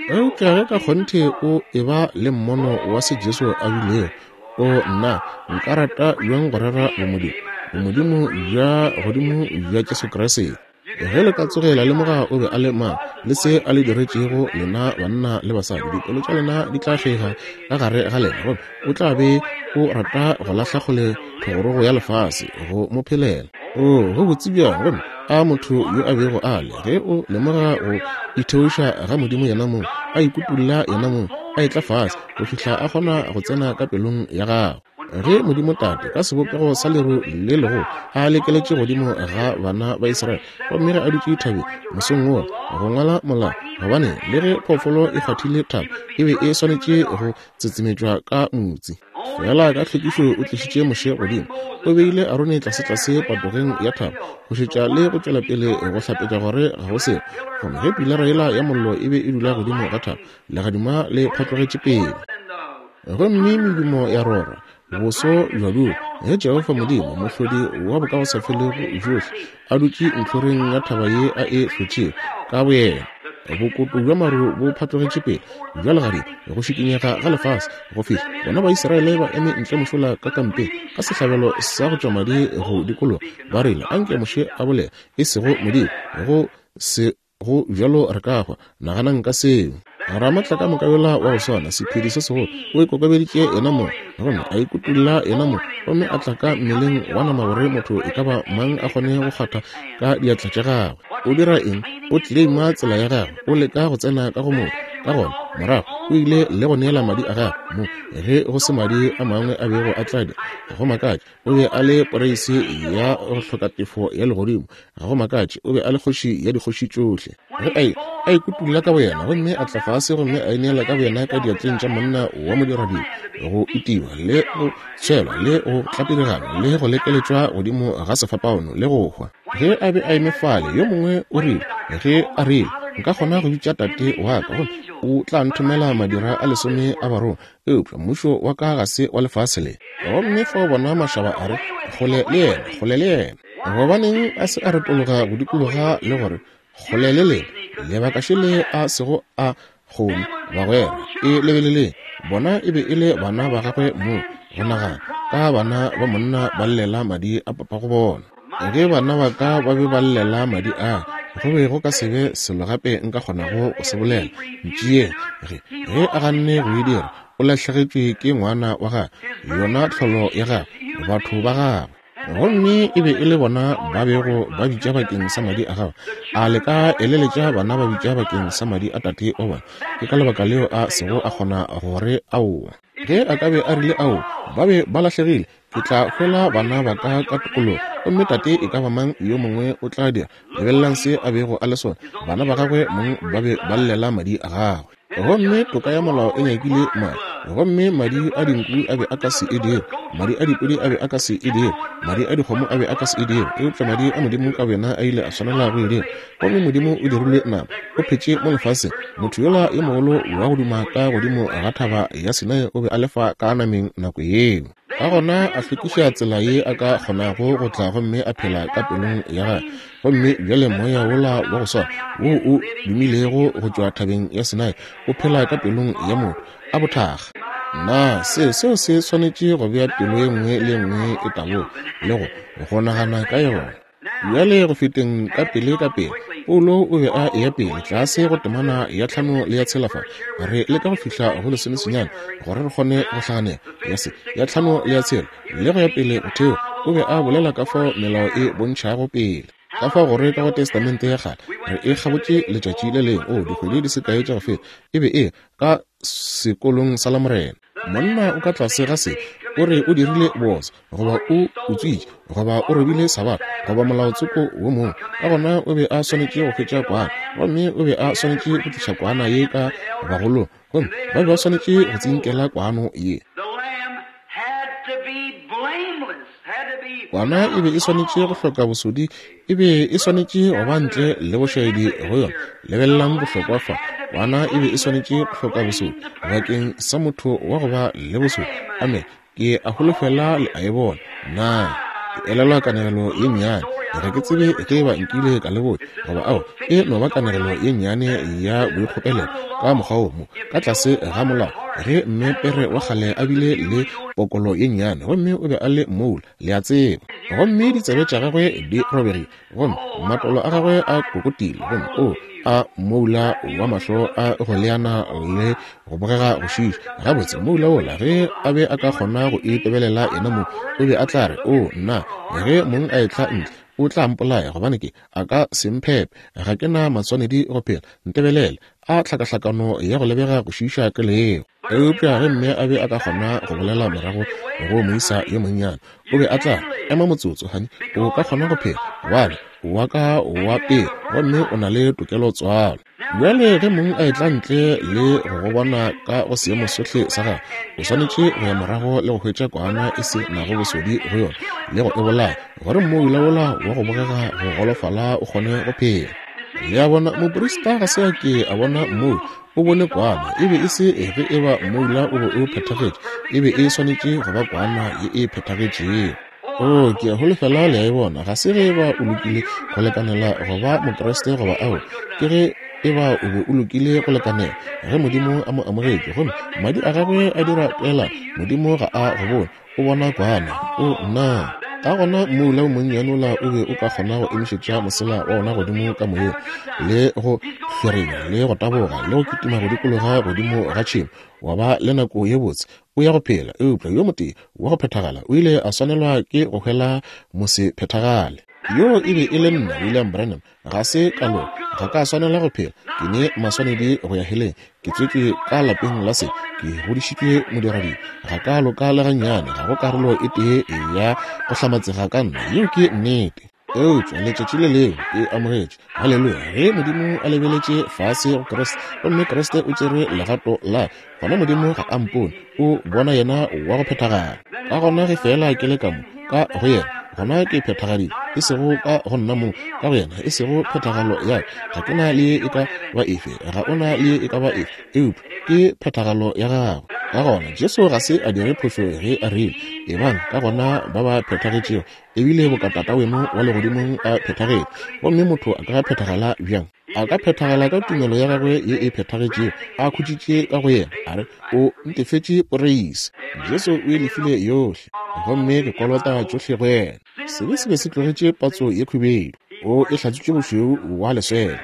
Eupša ge ka kgonthe o eba le mmono wa se Jesu a bilego, o nna nka rata bjang go rera bomodimo, bomodimo bja godimo bja Jesu Kriste. Ge le ka tsoge la lemoga o be a le mang le se a le diretšego lena banna le basadi, dipelo tša lena di tla fega ka gare ga lena, gomme o tla be o rata go lahla kgole thogorogo ya lefase go mo phelela. O go botse bjang, gomme a motho yo a bego a le, ge o lemoga go itheoša ga Modimo yena mong, a ikutulla yena mong, a etla fase go fihla a kgona go tsena ka pelong ya gago. Ge Modimo Tate ka sebopego sa leru le legolo a lekeletše godimo ga bana ba Israele, gomme ge a dutše thabeng mosong wola go ngwala molao, gobane le ge phoofolo e kgwathile thaba e be e swanetše go tsetsemetšwa ka motsi. Fela ka tlhwekišo o tlišitše Moshe godimo, o beile Arone tlasetlase patogeng ya thaba go šetša le go tšwela pele go hlapetša gore ga go selo. Gomme ge pilara yela ya mollo e be e dula godimo ga thaba, legadima le phatlogetše pele, gomme medumo ya rora, boso bja dula. Ge Jehofa Modimo, mohlodi wa bokagosafelego bjohle, a dutše ntlhoreng ya thaba ye a e hlotšego ka boyena, bokoto bja maru bo phatlogetše pele bja legadima, go šikinyega ga lefase go fihla bona Baisraele ba eme ntle mošola ka kampeng ka sehlabelo sa go tšwa madi go dikologa, ba rile, anke Moshe a bolela, e sego Modimo, go se go bjalo re ka hwa. Naganang ka seo. Ramatla ka moka yola wa go swana, sephedi se segolo, o ikokobeditše yena mong, gomme a ikutulla yena mong, gomme a tla ka mmeleng wa nama gore motho e ka ba mang a kgone go kgwatha ka diatla tša gagwe. O dira eng? O claima tsela ya gagwe, o leka go tsena ka go motho. Ka gona morago o ile le go neela madi a gagwe mo, ge go se madi a mangwe a bego a tla dira. Ga go makatše o be a le poreisi ya go hloka tefo ya legodimo. Ga go makatše o be a le kgoši ya dikgoši tšohle. Ge a a ikutulla ka boyena, gomme a tla fase gomme a ineela ka boyena ka diatleng tša monna wa modiradibe, go itiwa le go tshwelwa le go tlapirigana le go lekeletšwa godimo ga sefapano le go hwa. Ge a be a eme fale, yo mongwe o rile, ge a rile, nka kgona go bitša tate wa ka, gomme o tla nthomela madira a lesome a barongwa, eupša mmušo wa ka ga se wa lefase le. Gomme fao bona mašaba a re, kgole le yena, kgole le yena. Gobaneng a se a retologa go dikologa le gore kgole le lena, lebaka šele a sego a kgone, bagwera, e lebeleleng, bona e be e le bana ba gagwe mong, go nagana ka bana ba monna ba llela madi a papago bona. Ge bana ba ka ba be ba llela madi a, go be go ka se be selo gape nka kgonago go se bolela. Ntšeeng, ge ge a ganne go e dira, o lahlegetšwe ke ngwana wa gagwe, yona tlholo ya gagwe, batho ba gagwe. Gomme e be e le bona ba bego ba bitša bakeng sa madi a gagwe. A le ka eleletša bana ba bitša bakeng sa madi a tate wa bona? Ke ka lebaka leo a sego a kgona gore aowa. Ge a ka be a rile aowa, ba be ba lahlegile. Ke tla hwela bana ba ka ka tokologo, gomme tate e ka ba mang yo mongwe o tla dira. Lebelelang se a bego a le sona. Bana ba gagwe mong ba be ba llela madi a gagwe. Gomme toka ya molao e nyakile madi, gomme madi a dinku a be a ka se e dire, madi a dipudi a be a ka se e dire, madi a dikgomo a be a ka se e dire, eupša madi a Modimo ka boyena a ile a swanela go e dira. Gomme Modimo o dirilwe nama, o phetše mo lefaseng. Motho yola yo mogolo wa go duma ka godimo ga thaba ya Sinai o be a lefa ka nameng nako yeo. Ka gona a hlwekiša tsela ye a ka kgonago go tla gomme a phela ka pelong ya gagwe. Gomme bjale moya wola wa go swana wo o dumilego go tšwa thabeng ya Sinai o phela ka pelong ya motho a bothakga. Na se seo se swanetše go bea pelo ye nngwe le ye nngwe e taboga le go go nagana ka yona. Bjale go feteng ka pele ka pele, Paulo o be a eya pele tlase go temana ya tlhano le ya tshela fa. Re leka go fihla go lesomesenyane gore re kgone go hlaganela ya se ya tlhano le ya tshela le go ya pele go theo. O be a bolela ka fao melao e bontšhago pele, ka fao gore ka go Testamente ya kgale re e kgabotše letšatši le lengwe, o dikgwedi di se kae tša go feta, e be e ka sekolong sa Lamorena. Monna o ka tlase ga se, o re o dirile bosa, goba o utswitše, goba o robile sabatha, goba molaotsoko wo mongwe. Ka gona o be a swanetše go hwetša kwana, gomme o be a swanetše go tliša kwana ye ka bagolong, gomme ba be ba swanetše go tsinkela kwano ye. The lamb had to be blameless, had to be Kwana e be e swanetše go hloka bosodi, e be e swanetše go ba ntle le bošaedi go yona. Lebelelang bohlokwa fa. Kwana e be e swanetše go hloka bosodi bakeng sa motho wa go ba le bosodi. Amen. Ke a holofela le a e bona. Na ke elelwa kanegelo ye nnyane. Ga ke tsebe ge ba nkile ka le botša goba ao, e no ba kanegelo ye nnyane ya boikgopelelo ka mokgwa wo mo ka tlase ga molao, ge mme pere wa kgale a bile le pokolo ye nnyane, gomme o be a le moula, le a tseba, gomme ditsebe tša gagwe di robegile, gomme matolo a gagwe a kokotile, gomme o a moula wa mahlo a go leana le go bogega go šiša. Gabotse, moula wola ge a be a ka kgona go itebelela yena mo, o be a tla re, o nna, ge mong a etla ntle o tla mpolaya, gobane ke a ka se mphepe, ga ke na matswanedi go phela, ntebelele, a tlhakahlakano ya go lebega go šiša ke leo. Eupša ge mme a be a ka kgona go bolela morago go moisa yo monnyane, o be a tla ema motsotso, honey, o ka kgona go phela, gobane wa ka wa pele, gomme o na le tokelo tswalo. Bjale ge mong a etla ntle le go go bona ka go seemo sohle sa gagwe, o swanetše go ya morago le go hwetša kwana e se nago bosodi go yona le go e bolaya, gore mmoula wola wa go bogega go golofala o kgone go phela. Le a bona, moprista ga se a ke a bona mmoula, o bone kwana. E be e se ge e ba mmoula o be o phethagetše, e be e swanetše go ba kwana ye e phethagetšego. O, ke a holofela le a e bona. Ga se ge e ba o lokile go lekanela go ba Mokriste goba ao, ke ge e ba o be o lokile go lekanela ge Modimo a mo amogetše, gomme madi a gagwe a dira peelano. Modimo ga a go bone, o bona kwana. O nna. Ka gona mmoula o monnyane ola o be o ka kgona go emišetša mosela wa ona godimo ka moyeng, le go hlwerenya, le go taboga, le go kitima go dikologa godimo ga tšhemo, wa ba le nako ye botse, o ya go phela. Eupša yo motee wa go phethagala o ile a swanelwa ke go hwela mosephethagale. Yo e be e le nna, William Branham. Ga se ka loka, ga ka swanela go phela, ke ne maswanedi go ya heleng, ke tswetšwe ka lapeng la se, ke godišitšwe modiradibe, ga ka loka le gannyane, ga go karolo e tee ya go hlamatsega ka nna. Yeo ke nnete. Eupša letšatši le lengwe ke amogetše, haleluya, ge Modimo a lebeletše fase go Kriste, gomme Kriste o tšere legato la gona, Modimo ga a mpone, o bona yena wa go phethagala. Ka gona ge fela ke le ka mo ka go yena, gona ke phethagadile, e sego ka go nna mo, ka go yena, e sego phethagalo ya ka, ga ke na le ye e ka ba efe, ga o na le ye e ka ba efe, eupša ke phethagalo ya gagwe. Ka gona Jesu ga se a dire phošo ge a rile, ebang ka gona ba ba phethagetšego, ebile boka Tata weno wa legodimong a phethagetše. Gomme motho a ka phethagala bjang? A ka phethagala ka tumelo ya gagwe ye e phethagetšego, a khutšitše ka go yena, a re, o ntefetše poreisi. Jesu o e lefile yohle, gomme ke kolota tšohle go yena. Sebe se be se tlogetše patso ye khubedu, o e hlatswitše bošweu wa leswele.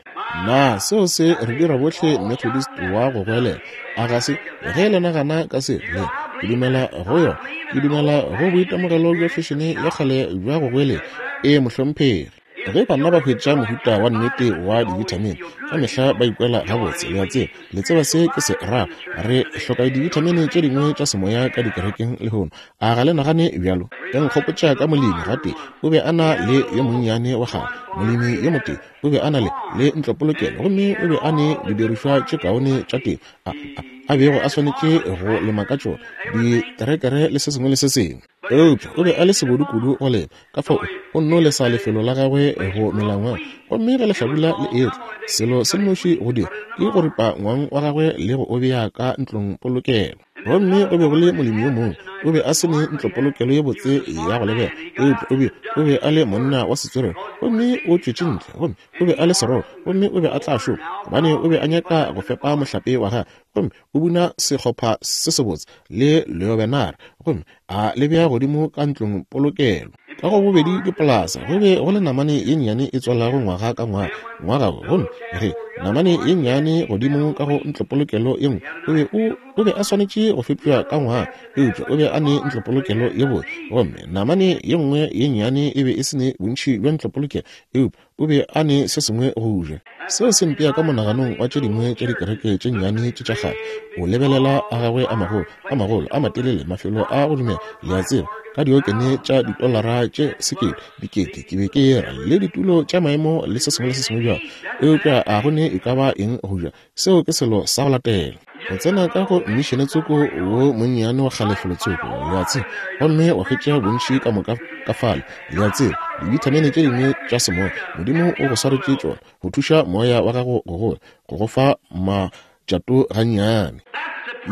Na seo se re dira bohle Methodist wa go goelela? A ga se? Ge le nagana ka se, le ke dumela go yona. Ke dumela go boitemogelo bja fešene ya kgale bja go goelela. E mohlomphegi. Ge banna ba hwetša mohuta wa nnete wa dibithamini, ka mehla ba ikwela gabotse. Le a tseba, le tseba se ke se ra. Re hloka dibithamini tše dingwe tša semoya ka dikerekeng lehono. A ga le nagane bjalo? E nkgopotša ka molemi gape, o be a na le yo monnyane wa kgale, molemi yo motee, o be a na le le ntlopolokelo, gomme o be a ne didirišwa tše kaone tša temo a, a, a bego a swanetše go lema ka tšona, diterekere le se sengwe le se sengwe. Eupša o be a le sebodu kudu go lema, ka fao o nno lesa lefelo la gagwe go mela ngwang, gomme ge lehlabula le etla, selo se nnoši go dira ke go ripa ngwang wa gagwe le go o bea ka ntlong polokelo. Gomme go be go le molemi yo mongwe, o be a se ne ntlopolokelo ye botse ya go lebega, eupša o be o be a le monna wa setswerere, gomme o tšwetše ntle, gomme o be a le serogo, gomme o be a tla šoma, gobane o be a nyaka go fepa mohlape wa gagwe, gomme o buna sehlopha se sebotse le leobenara, gomme a le bea godimo ka ntlong polokelo. Ka go bobedi dipolasa go be go le namane ye nnyane e tswalago ngwaga ka ngwaga, ngwaga wo, gomme ge namane ye nnyane godimo ka go ntlopolokelo ye nngwe, o be o o be a swanetše go fepša ka ngwaga, eupša o be a ne ntlopolokelo ye botse, gomme namane ye nngwe ye nnyane e be e se ne bontši bja ntlopolokelo, eupša o be a ne se sengwe go ja. Seo se mpea ka monaganong wa tše dingwe tša dikereke tše nnyane tše tša kgale. O lebelela a gagwe a magolo, a magolo, a matelele, mafelo a go dumela, le a tseba, ka diokene tša ditolara tše sekete, dikete, ke be ke ra, le ditulo tša maemo le se sengwe le se sengwe bjalo, eupša a go ne e ka ba eng go ja. Seo ke selo sa go latela. Go tsena ka go mmišene tsoko wo monnyane wa kgale felotsoko, le a tseba, gomme wa hwetša bontši ka moka ka fale, le a tseba, dibithamine tše dingwe tša semoya. Modimo o go swaretše tšona go thuša moya wa gago go gola, go go fa matšato gannyane.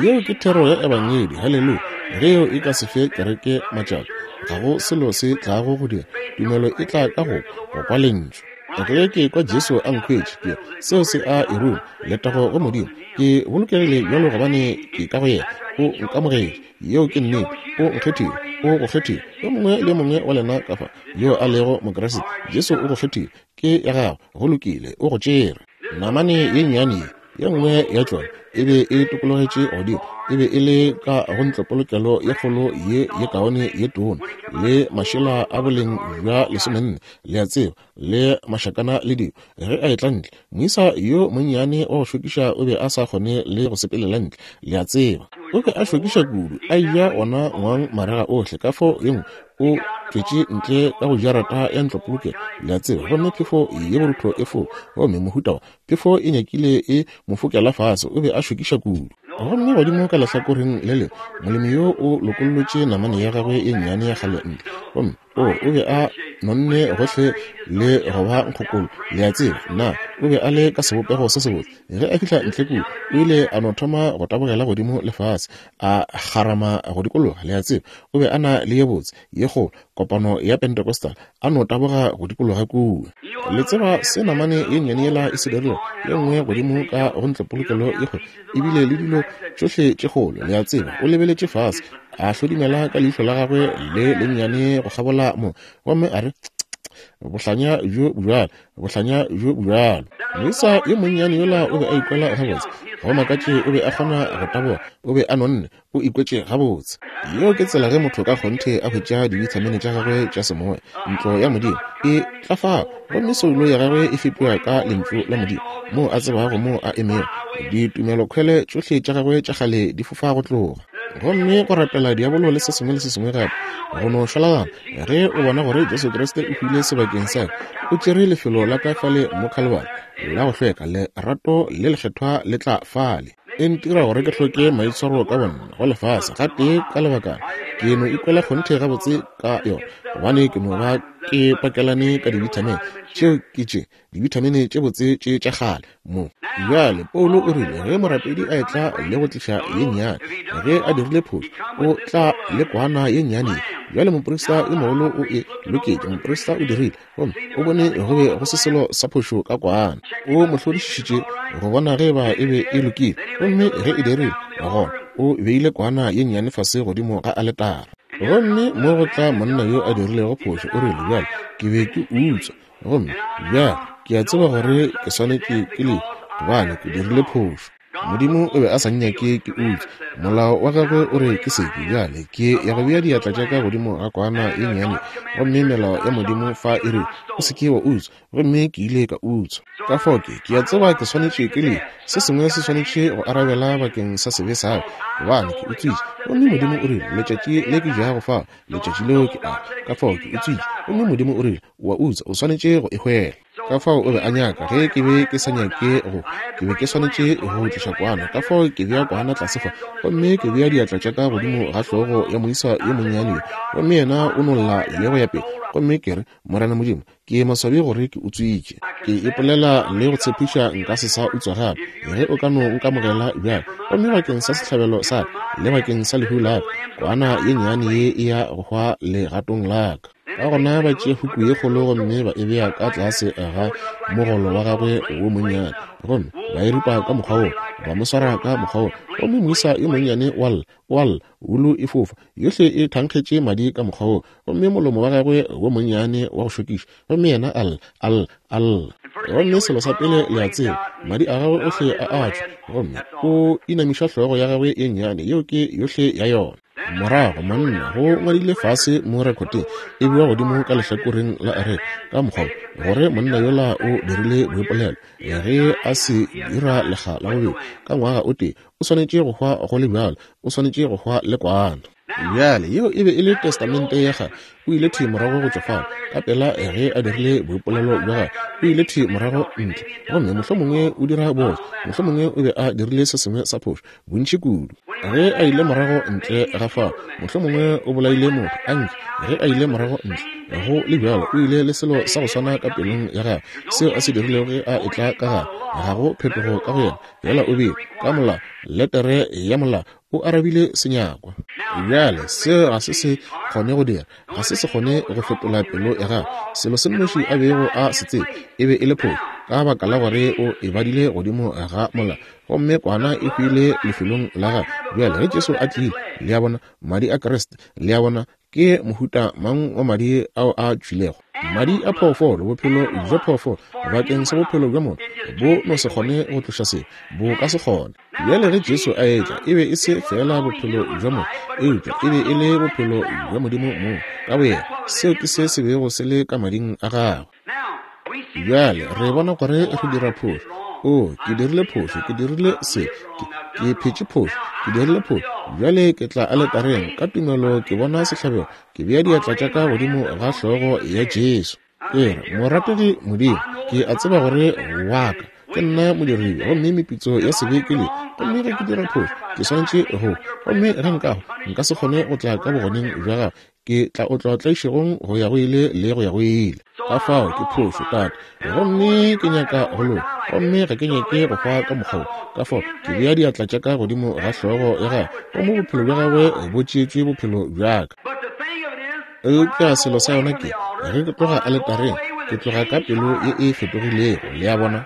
Yeo ke thero ya Ebangedi. Haleluya! Ge yeo e ka se fe kereke matšato, ga go selo se tlago go dira. Tumelo e tla ka go go kwa lentšu. Ge ke kwa Jesu a nkhwetše, ke seo se a e ruma. Letago go Modimo. Ke bolokegile bjalo gobane ke ka go yena. O nkamogetše. Yeo ke nnete. O nkgethile. O go kgethile. Yo mongwe le mongwe wa lena ka fa yo a lego Mokriste, Jesu o go kgethile. Ke ya gago. Go lokile. O go tšere. Namane ye nnyane ye, ye nngwe ya tšona e be e tokologetše godimo, e be e le ka go ntlopolokelo ye kgolo ye ye kaone ye tona, le mašela a boleng bja lesomenne, le a tseba, le mašakana le dilo. Ge a etla ntle, moisa yo monnyane wa go šokiša o be a sa kgone le go sepelela ntle, le a tseba. O be a šokiša kudu, a eja ona ngwang marega ohle, ka fao ye nngwe o tšwetše ntle ka go jarata ya ntlopolokelo, le a tseba, gomme phefo ye borutho e foka, gomme mohuta wa phefo e nyakile e mo fokela fase. O be a šokiša kudu. Gomme godimo ka lehlakoreng le lengwe, molemi yo o lokollotše namane ya gagwe ye nnyane ya kgale ntle, gomme o o be a nonne gohle le go ba nkgokolo, le a tseba. Na o be a le ka sebopego se sebotse. Ge a fihla ntle kua, o ile a no thoma go tabogela godimo le fase, a kgarama go dikologa, le a tseba. O be a na le ye botse ye kgolo kopano ya Pentecostal, a no taboga go dikologa kua. Le tseba se namane ye nnyane yela e se dirilego, ye nngwe godimo ka go ntlopolokelo ye kgolo, ebile le dilo tšohle tše kgolo, le a tseba. O lebeletše fase, a hlodimela ka leihlo la gagwe le lennyane go kgabola mo, gomme a re, bohlanya bjo bjalo, bohlanya bjo bjalo. Moisa yo monnyane yola o be a ikwela gabotse. Go makatše o be a kgona go taboga, o be a nonne, o ikwetše gabotse. Yeo ke tsela ge motho ka kgonthe a hwetša dibithamine tša gagwe tša semoya. Ntlo ya Modimo e tla fao, gomme soulo ya gagwe e fepiwa ka lentšu la Modimo, moo a tsebago moo a emego. Ditumelokhwele tšohle tša gagwe tša kgale di fofa go tloga. Gomme go rapela diabolo le se sengwe le se sengwe gape go no šwalagana. Ge o bona gore Jesu Kriste o hwile sebakeng sa ka, o tšere lefelo la ka fale mo Calvary la go hlweka, lerato le lekgethwa le tla fale. E ntira gore ke hloke maitshwaro ka bonna go lefase gatee ka lebakana. Ke no ikwela kgonthe gabotse ka yona, gobane ke no ba ke pakelane ka dibithamine tšeo ke tše dibithamine tše botse tše tša kgale mo. Bjale Paulo o rile ge morapedi a etla le go tliša ye nnyane, ge a dirile phošo, o tla le kwana ye nnyane. Bjale moprista yo mogolo o e loketše, moprista o dirile, gomme o bone go be go se selo sa phošo ka kwana. O mo hlodišišitše go bona ge ba e be e lokile, gomme ge e dirile, gona o beile kwana ye nnyane fase godimo ga aletara. Gomme mo go tla monna yo a dirilego phošo, o rile, bjale ke be ke utswa, gomme bjale ke a tseba gore ke swanetše ke le, gobane ke dirile phošo. Modimo o be a sa nnyake ke utswa, molao wa gagwe o re ke seke. Bjale ke ya go bea diatla tša ka godimo ga kwana ye nnyane, gomme melao ya Modimo fa e re o se ke wa utswa, gomme ke ile ka utswa. Ka fao ke ke a tseba ke swanetše ke le, se sengwe se swanetše go arabela bakeng sa sebe sa ka, gobane ke utswitše. Gomme Modimo o rile, letšatši le ke jago fa, letšatši leo ke a. Ka fao ke utswitše, gomme Modimo o rile, wa utswa, o swanetše go e hwela. Ka fao o be a nyaka, ge ke be ke sa nyake go, ke be ke swanetše go tliša kwana. Ka fao ke bea kwana tlase fa, gomme ke bea diatla tša ka godimo ga hlogo ya moisa yo monnyane yo, gomme yena o no lla le go ya pele. Gomme ke re, Morena Modimo, ke maswabi gore ke utswitše. Ke ipolela le go tshepiša nka se sa utswa gape, ge o ka no nkamogela bjale. Gomme bakeng sa sehlabelo sa ka le bakeng sa lehu la ka, kwana ye nnyane ye e ya go hwa legatong la ka. Ka gona ba tšea huku ye kgolo gomme ba e bea ka tlase ga mogolo wa gagwe wo monnyane, gomme ba e ripa ka mokgwa wo, ba mo swara ka mokgwa wo, gomme moisa yo monnyane wa lla, wa lla, wulu e fofa, yohle e thankgetše madi ka mokgwa wo, gomme molomo wa gagwe wo monnyane wa go šokiša, gomme yena a lla, a lla, a lla. Gomme selo sa pele le a tseba, madi a gagwe ohle a a tšwa, gomme o inamiša hlogo ya gagwe ye nnyane, yeo ke yohle ya yona. Morago monna go ngwadile fase mo rekoteng e bewa godimo ka lehlakoreng la areka ka mokgwa gore monna yola o dirile boipolelo, ge a se dira lekga la bobedi ka ngwaga o tee, o swanetše go hwa go le bjalo, o swanetše go hwa le kwana. Bjale yeo e be e le Testamente ya gagwe. O ile thwi morago go tšwa fao ka pela ge a dirile boipolelo bja gagwe. O ile thwi morago ntle, gomme mohlomongwe o dira boso, mohlomongwe o be a dirile se sengwe sa phošo bontši kudu. Ge a ile morago ntle ga fao, mohlomongwe o bolaile motho. Anke ge a ile morago ntle, go le bjalo o ile le selo sa go swana ka pelong ya gagwe seo a se dirilego ge a etla ka gare. Ga go phetogo ka go yena, fela o bile ka molao, letere ya molao, o arabile senyakwa. Bjale seo ga se se kgone go dira, ga se se kgone go fetola pelo ya gagwe. Selo se nnoši a bego a se tseba e be e le phošo, ka baka la gore o e badile godimo ga molao, gomme kwana e hwile lefelong la gagwe. Bjale ge Jesu a tlile, le a bona, madi a Kriste, le a bona, ke mohuta mang wa madi ao a tšwilego? Madi a phoofolo, bophelo bja phoofolo bakeng sa bophelo bja motho bo no se kgone go tloša sebe, bo ka se kgone. Bjale ge Jesu a etla, e be e se fela bophelo bja motho, eupša e be e le bophelo bja Modimo mong ka boyena. Seo ke se se bego se le ka mading a gagwe. Bjale re bona gore re dira phošo. O, ke dirile phošo, ke dirile se, ke, ke phetše phošo, ke dirile phošo. Bjale ke tla aletareng ka tumelo, ke bona sehlabelo, ke bea diatla tša ka godimo ga hlogo ya Jesu. Ke re, morategi Modimo, ke a tseba gore wa ka ke nna modiribe, gomme meputso ya sebe ke le, gomme ge ke dira phošo ke swanetše go, gomme ge nka hwa nka se kgone go tla ka bogoneng bja gago, ke tla otlwa tlaišegong go ya go ile le go ya go ile. Ka fao ke phošo, Tate, gomme ke nyaka go loka, gomme ga ke nyake go hwa ka mokgwa wo. Ka fao ke bea diatla tša ka godimo ga hlogo ya gagwe, gomme bophelo bja gagwe bo tšeetšwe bophelo bja ka. Eupša selo sa yona ke, ge ke tloga aletareng, ke tloga ka pelo ye e fetogilego. Le a bona?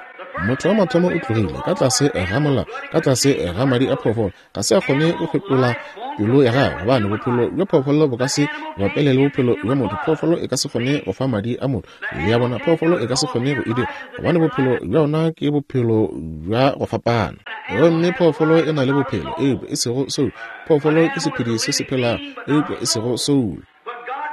Motho wa mathomo o tlogile ka tlase ga molao, ka tlase ga madi a phoofolo. Ga se a kgone go fetola pelo ya gagwe, gobane bophelo bja phoofolo bo ka se bapele le bophelo bja motho. Phoofolo e ka se kgone go fa madi a motho. Le a bona? Phoofolo e ka se kgone go e dira, gobane bophelo bja yona ke bophelo bja go fapana. Gomme phoofolo e na le bophelo, eupša e sego soul. Phoofolo ke sephedi se se phelago, eupša e sego soul.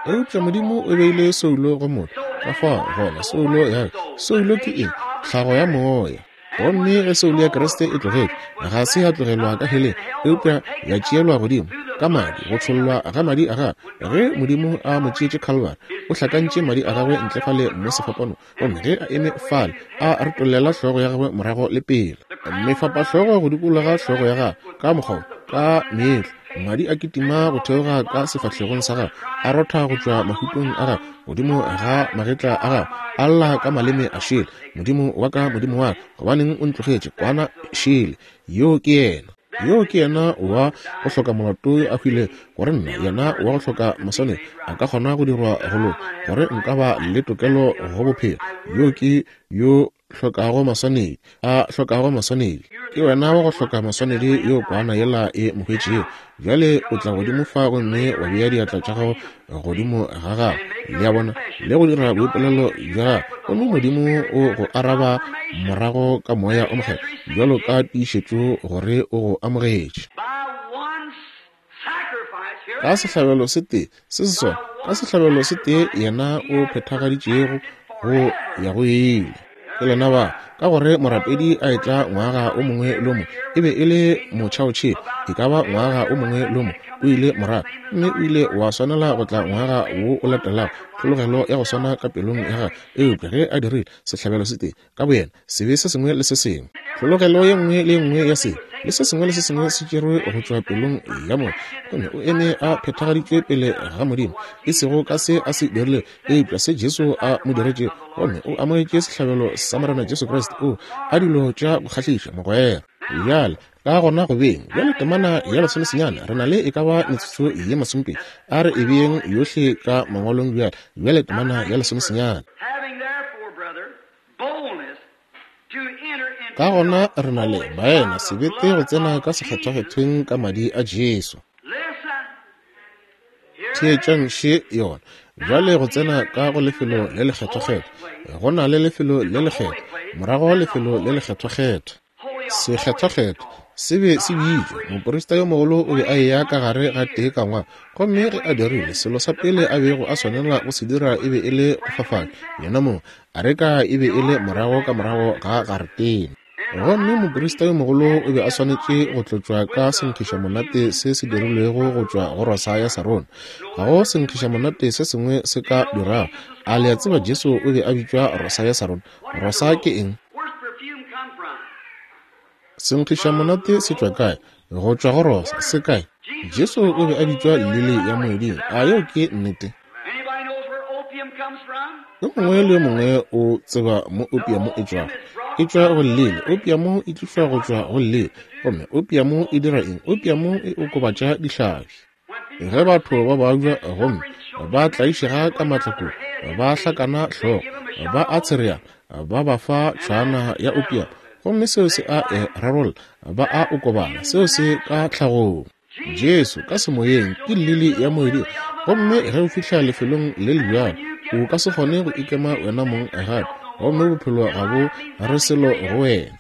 Eupša Modimo o beile soulo go motho. Ka fao gona soulo ya soulo ke eng? Tlhago ya moya. Gomme ge soulo ya Kriste e tlogetšwe, ga se ya tlogelwa ka heleng, eupša ya tšeelwa godimo ka madi, go tšhollwa ga madi a gagwe. Ge Modimo a mo tšeetše Calvary, o hlakantše madi a gagwe ntle fale mo sefapanong, gomme ge a eme fale a retollela hlogo ya gagwe morago le pele, mefapahlogo go dikologa hlogo ya gagwe ka mokgwa ka meetlo, madi a kitima go theoga ka sefahlegong sa gagwe, a rotha go tšwa mahutong a gagwe godimo ga magetla a gagwe, a lla ka maleme a šele, Modimo wa ka, Modimo wa ka, gobaneng o ntlogetše? Kwana šele. Yo ke yena. Yo ke yena wa go hloka molato yo a hwile gore nna, yena wa go hloka maswanedi, a ka kgona go dirwa go loka, gore nka ba le tokelo go bophelo. Yo ke yo hlokago maswanedi, a hlokago maswanedi. Ke wena wa go hloka maswanedi yo kwana yela e mo hwetšego. Bjale o tla godimo fa gomme wa bea diatla tša gago godimo ga gagwe, le a bona, le go dira boipolelo bja gagwe, gomme Modimo o go araba morago ka Moya o Mokgethwa bjalo ka tiišetšo gore o go amogetše. Ka sehlabelo se tee se se sona, ka sehlabelo se tee yena o phethagaditšego go ya go ile. Ke lena ba, ka gore morapedi a etla ngwaga o mongwe le o mongwe, e be e le motšhaotšhele, e ka ba ngwaga o mongwe le o mongwe o ile morago, mme o ile wa swanela go tla ngwaga wo o latelago, tlhologelo ya go swana ka pelong ya gagwe. Eupša ge a dirile sehlabelo se tee ka boyena, sebe se sengwe le se sengwe, tlhologelo ye nngwe le ye nngwe ya sebe le se sengwe le se sengwe se tšerwe go tšwa pelong ya motho, gomme o eme a phethagaditšwe pele ga Modimo, e sego ka se a se dirile, eupša se Jesu a mo diretšego, gomme o amogetše sehlabelo sa Morena Jesu Kriste. O a dilo tša go kgahliša, mogwera. Bjale ka gona go beng bjale temana ya lesomesenyane, re na le e ka ba metsotso ye masomepedi, a re e beeng yohle ka mangwalong bjale. Bjale temana ya lesomesenyane. Ka gona re na le baena sebete go tsena ka sekgethwakgethweng ka madi a Jesu. Theetšang še yona. Bjale go tsena ka go lefelo le lekgethwakgethwa, go na le lefelo le lekgethwa, morago lefelo le lekgethwakgethwa. Sekgethwakgethwa se be se bitšwa. Moprista yo mogolo o be a eya ka gare ga tee ka ngwaga, gomme ge a dirile, selo sa pele a bego a swanela go se dira e be e le go fafatša yena mong. Areka e be e le morago ka morago ga garetene. Gomme moprista yo mogolo o be a swanetše go tlotšwa ka senkgišamonate se se dirilwego go tšwa go rosa ya Sarona. Ga go senkgišamonate se sengwe se ka dirago. A le a tseba Jesu o be a bitšwa rosa ya Sarona? Rosa ke eng? Senkgišamonate se tšwa kae? Go tšwa go rosa. Se kae? Jesu o be a bitšwa lili ya moeding. A yeo ke nnete? Yo mongwe le yo mongwe o tseba mo opiamo e tšwago. E tšwa go lili. Opiamo e tlišwa go tšwa go lili. Gomme opiamo e dira eng? Opiamo e okobatša dihlabi. Ge batho ba babja gomme ba tlaišega ka matla kudu, ba hlakana hlogo, ba a tshereana, ba ba fa tšhwana ya opiamo, gomme seo se a e rarolla, ba a okobala. Seo se ka tlhagong. Jesu ka semoyeng ke lili ya moeding, gomme ge o fihla lefelong le le bjalo, o ka se kgone go ikema wena mong gape, gomme bophelo ga bo re selo go wena.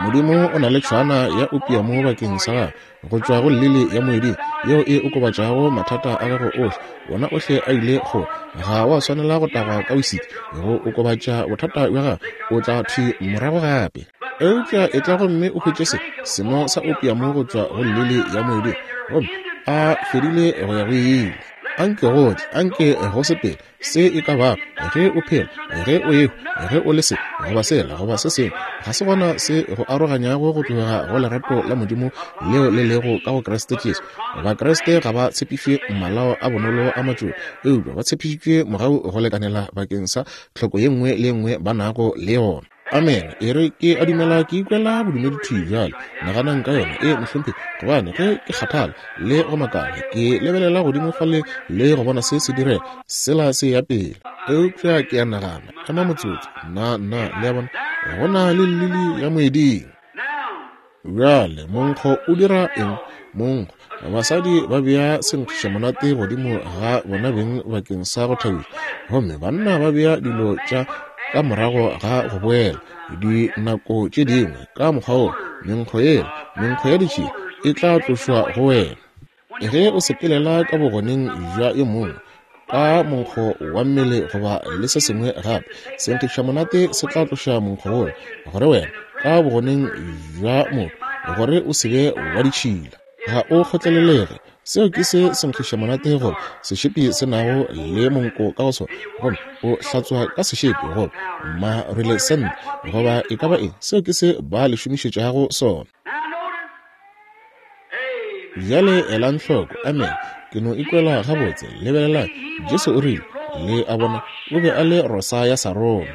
Modimo o na le tšhwana ya opiamo bakeng sa gago go tšwa go lili ya moeding yeo e okobatšago mathata a gago ohle. Wona ohle a ile kgole. Ga wa swanela go tagwa ka wisiki go okobatša bothata bja gago, o tla thwi morago gape. Eupša e tla gomme o hwetše se seno sa opiamo go tšwa go lili ya moeding, gomme a fedile go ya go ile. Anke go tle, anke go sepele se e ka bago, ge o phela, ge o ehwa, ge o le se goba sela goba se sengwe, ga se gona se go aroganyago go tloga go lerato la Modimo leo le lego ka go Kriste Jesu. Bakriste ga ba tshepišwe malao a bonolo a matšoba, eupša ba tshepišitšwe mogau go lekanela bakeng sa tlhoko ye nngwe le ye nngwe ba nago le yona. Amen. E re ke a dumela ke ikwela bodumedi thwi bjale. Naganang ka yona. E mohlomphegi, gobane ge ke kgathala le go makala, ke lebelela godimo fale le go bona se se direga, sela se ya pele. Eupša ke a nagana, ema motsotso, nna nna le a bona, go na le lili ya moeding. Bjale monkgo o dira eng? Monkgo. Basadi ba bea senkgišamonate godimo ga bona beng bakeng sa go thabiša, gomme banna ba bea dilo tša ka morago ga go boela dinako tše dingwe. Ka mokgwa wo menkgo yela, menkgo ya ditšhila e tla tlošwa go wena. Ge o sepelela ka bogoneng bja yo mongwe ka monkgo wa mmele goba le se sengwe gape, senkgišamonate se tla tloša monkgo wola gore wena ka bogoneng bja motho gore o se be wa ditšhila. Ga o kgotlelelege. Seo ke se senkgišamonate goba sešepi se nago le monko ka go sona, gomme o hlatswa ka sešepi goba marwele sente goba e ka ba eng. Seo ke se ba le šomišetšago sona. Bjale elang hloko. Amen. Ke no ikwela gabotse. Lebelelang, Jesu o rile, le a bona, o be a le rosa ya Sarona,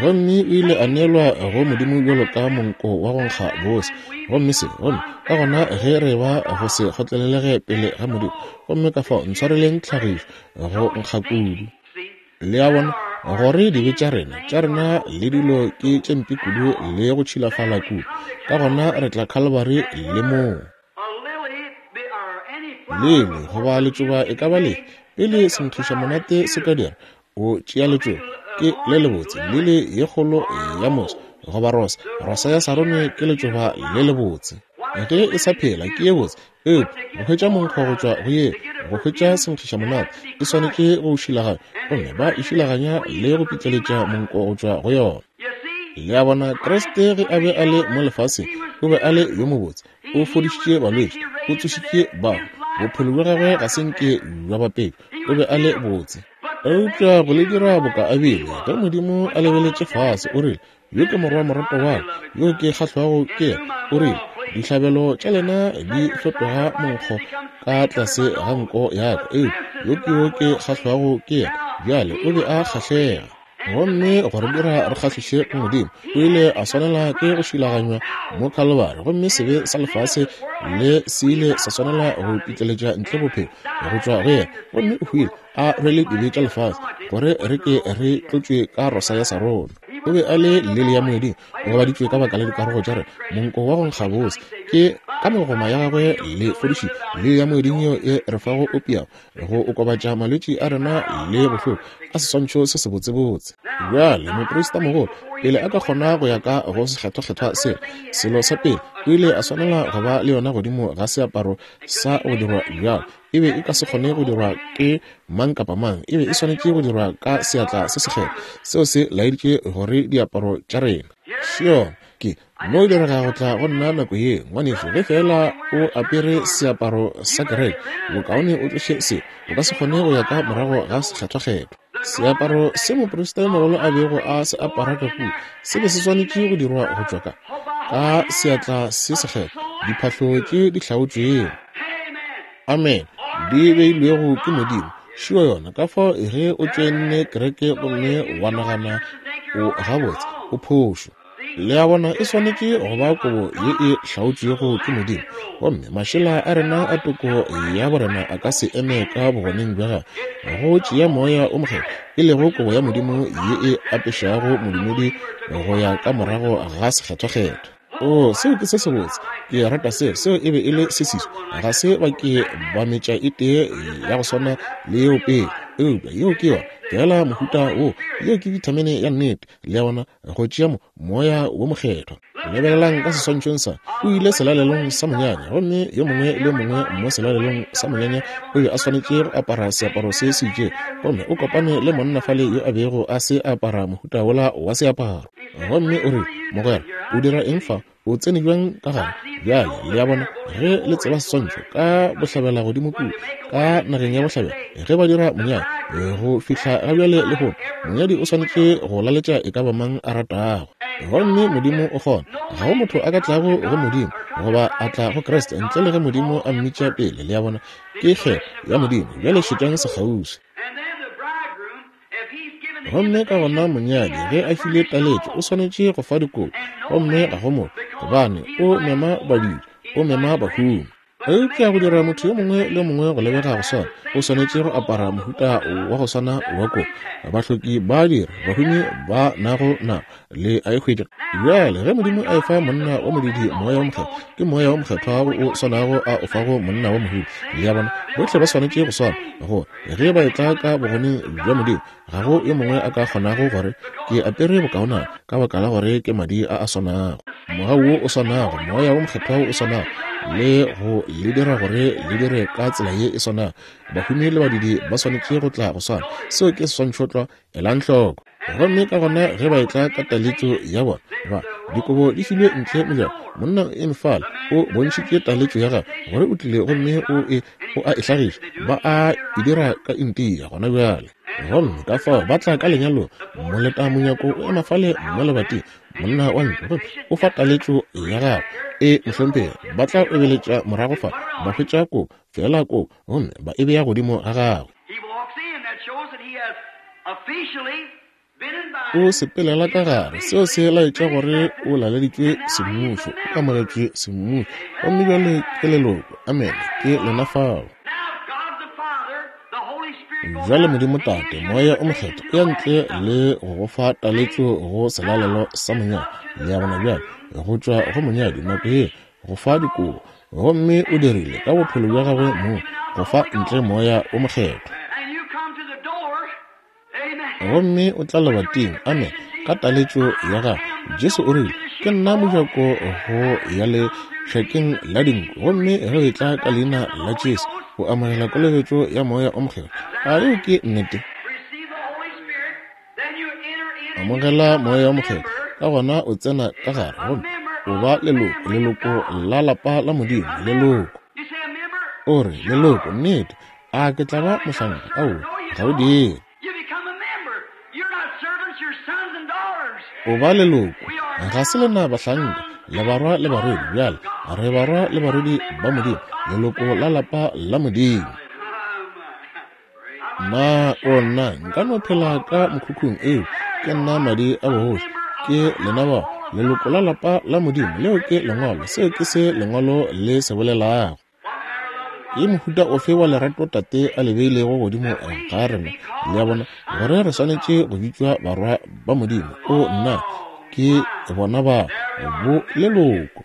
gomme o ile a neelwa go Modimo bjalo ka monko wa go nkga bose. Gomme se, gomme ka gona ge re ba go se kgotlelelege pele ga Modimo, gomme ka fao ntshwareleng tlhagišo go nkga kudu. Le a bona gore dibe tša rena tša rena le dilo ke tše mpe kudu le go tšhilafala kudu, ka gona re tla Calvary le moo. Lele goba letšoba e ka ba lefe, pele senkgišamonate se ka dira, o tšea letšoba ke le lebotse, lili ye kgolo ya moso goba rosa. Rosa ya Sarone ke letšoba le lebotse. Ge e sa phela ke ye botse, eupša go hwetša monkgo go tšwa go ye, go hwetša senkgišamonate e swanetše go šilaganya, gomme ba e šilaganya le go pitleletša monko go tšwa go yona. Le a bona, Kriste ge a be a le mo lefaseng o be a le yo mobotse, o fodišitše balwetši, o tsošitše bahu, bophelo bja gagwe ga se nke bja bapetšwa, o be a le botse. Eupša go le dira boka a bile, ge Modimo a lebeletše fase, o rile, yo ke morwa morato wa ka, yo ke kgahlwago ke yena. O rile, dihlabelo tša lena di fetoga monkgo ka tlase ga nko ya ka, eupša yo ke yo ke kgahlwago ke yena. Bjale o be a kgahlega. Gomme gore dira re kgahliše go Modimo, o ile a swanela ke go šilaganywa mo Calvary, gomme sebe sa lefase le se ile sa swanela go pitleletša ntle bophelo go tšwa go yena, gomme o hwile a rwele dibe tša lefase gore re ke re tlotšwe ka rosa ya Sarona. O be a le lili ya moeding, o gobaditšwe ka baka la dikarogo tša rena, monko wa go nkga bose ke ka megoma ya gagwe le fodišitše. Lili ya moeding yeo e re fago opiamo go okobatša malwetši a rena le bohloko, ka seswantšho se sebotsebotse. Bjale moprista mogolo pele a ka kgona go ya ka go sekgethwakgethwa sela, selo sa pele o ile a swanela go ba le yona godimo ga seaparo sa go dirwa bjalo. E E be e ka se kgone go dirwa ke mang kapa mang. E be e swanetše go dirwa ka seatla se sekgethwa. Seo se laeditše gore diaparo tša rena. Sure, ke no direga go tla go nna nako ye, ngwanešu, ge fela o apere seaparo sa kereke, bokaone o tloše se, o ka se kgone go ya ka morago ga sekgethwakgethwa. Seaparo se moprista yo mogolo a bego a se apara ka kua se be se swanetše go dirwa go tšwa ka ka seatla se sekgethwa, diphahlo tše di hlaotšwego, amen, di beilwego ke Modimo. Šio yona. Ka fao ge o tšoenne kereke gomme wa nagana o gabotse, o phošo. Le a bona, e swanetše go ba kobo ye e hlaotšwego ke Modimo. Gomme mašela a rena a toko ya borena a ka se eme ka bogoneng bja gagwe go tšea Moya o Mokgethwa, e lego kobo ya Modimo ye e apešago modumedi go ya ka morago ga sekgethwakgethwa. O, seo ke se sebotse. Ke rata seo. Seo e be e le se seswa. Ga se ba ke ba metša e tee ya go swana le yeo pele, eupša yeo ke yona fela mohuta wo. Yeo ke vitamine ya nnete, le a bona, go tšea mo Moya wo Mokgethwa. Lebelelang ka seswantšhong sa, o ile selalelong sa monyanya, gomme yo mongwe le yo mongwe mo selalelong sa monyanya o be a swanetše go apara seaparo se se itšego, gomme o kopane le monna fale yo a bego a se apara mohuta wola wa seaparo. Gomme o re, mogwera, o dira eng fa? O tsene bjang ka gare? Bjale, le a bona, ge le tseba seswantšho ka bohlabela godimo kua, ka nageng ya bohlabela, ge ba dira monyadi, go fihla ga bjale lehono, monyadi o swanetše go laletša e ka ba mang a ratago. Gomme Modimo o kgona. Ga go motho a ka tlago go Modimo goba a tla go Kriste ntle le ge Modimo a mmitša pele. Le a bona, ke kgetho ya Modimo. Bjale šetšang sekgauswi. Gomme ka gona monyadi ge a file taletšo o swanetše go fa dikobo, gomme ga go motho, gobane o mema badudi, o mema bahumi. Eupša go dira motho yo mongwe le mongwe go lebega go swana, o swanetše go apara mohuta wa go swana wa kobo. Bahloki ba dira, bahumi ba nago nabo, le a e hwetša. Bjale ge Modimo a efa monna wa modidi Moya wo Mokgethwa, ke Moya wo Mokgethwa wo o swanago a o fago monna wa mohumi. Le a bona, bohle ba swanetše go swana, gore ge ba etla ka bogoneng bja Modimo, ga go yo mongwe a ka kgonago gore ke apere bokaonana, ka baka la gore ke madi a a swanago, mogau wo o swanago, Moya wo Mokgethwa wo o swanago, le go le dira gore le dire ka tsela ye e swanago. Bahumi le badidi ba swanetše go tla go swana. Seo ke seswantšhotlwa, elang hloko. Gomme ka gona ge ba etla ka taletšo ya bona, ba dikobo di filwe ntle mojako, monna o eme fale, o bontšhitše taletšo ya gagwe gore o tlile, gomme o e o a e hlagiša. Ba a e dira ka India gona bjale. Gomme ka fao ba tla ka lenyalong, moleta monyako o ema fale mo lebating, monna wa ntlo, gomme o fa taletšo ya gagwe. E mohlomphegi, ba tla obeletša morago fa, ba hwetša kobo, fela kobo, gomme ba e bea godimo ga gagwe. O sepelela ka gare, seo se laetša gore o laleditšwe semmušo, o amogetšwe semmušo, gomme bjale ke leloko. Amen, ke lena fao. Bjale Modimo Tate, Moya o Mokgethwa o ya ntle le go go fa taletšo go selalelo sa monyadi. Le a bona bjale, go tšwa go monyadi nako ye go fa dikobo, gomme o dirile ka bophelo bja gagwe mo go fa ntle Moya o Mokgethwa. Gomme o tla lebating, amen, ka taletšo ya gagwe. Jesu o rile, ke nna mojako go ya lešakeng la dinku, gomme ge o etla ka leina la Jesu o amogela kolobetšo ya Moya o Mokgethwa. A yeo ke nnete? Amogela Moya o Mokgethwa, ka gona o tsena ka gare, gomme o ba leloko, leloko la lapa la Modimo, leloko. O re, leloko, nnete, a ke tla ba mohlanka? Aowa, ga o dire. O ba leloko, ga se lena bahlanka, le barwa le barwedi. Bjale re barwa le barwedi ba Modimo, leloko la lapa la Modimo. Na o nna nka no phela ka mokhukhung? Eo ke nna madi a bogoši, ke lena bao, leloko la lapa la Modimo. Leo ke lengwalo, seo ke se lengwalo le se bolelago. Ke mohuta ofe wa lerato Tate a le beilego godimo ga rena? Le a bona, gore re swanetše go bitšwa barwa ba Modimo. O nna, ke bona ba bo leloko.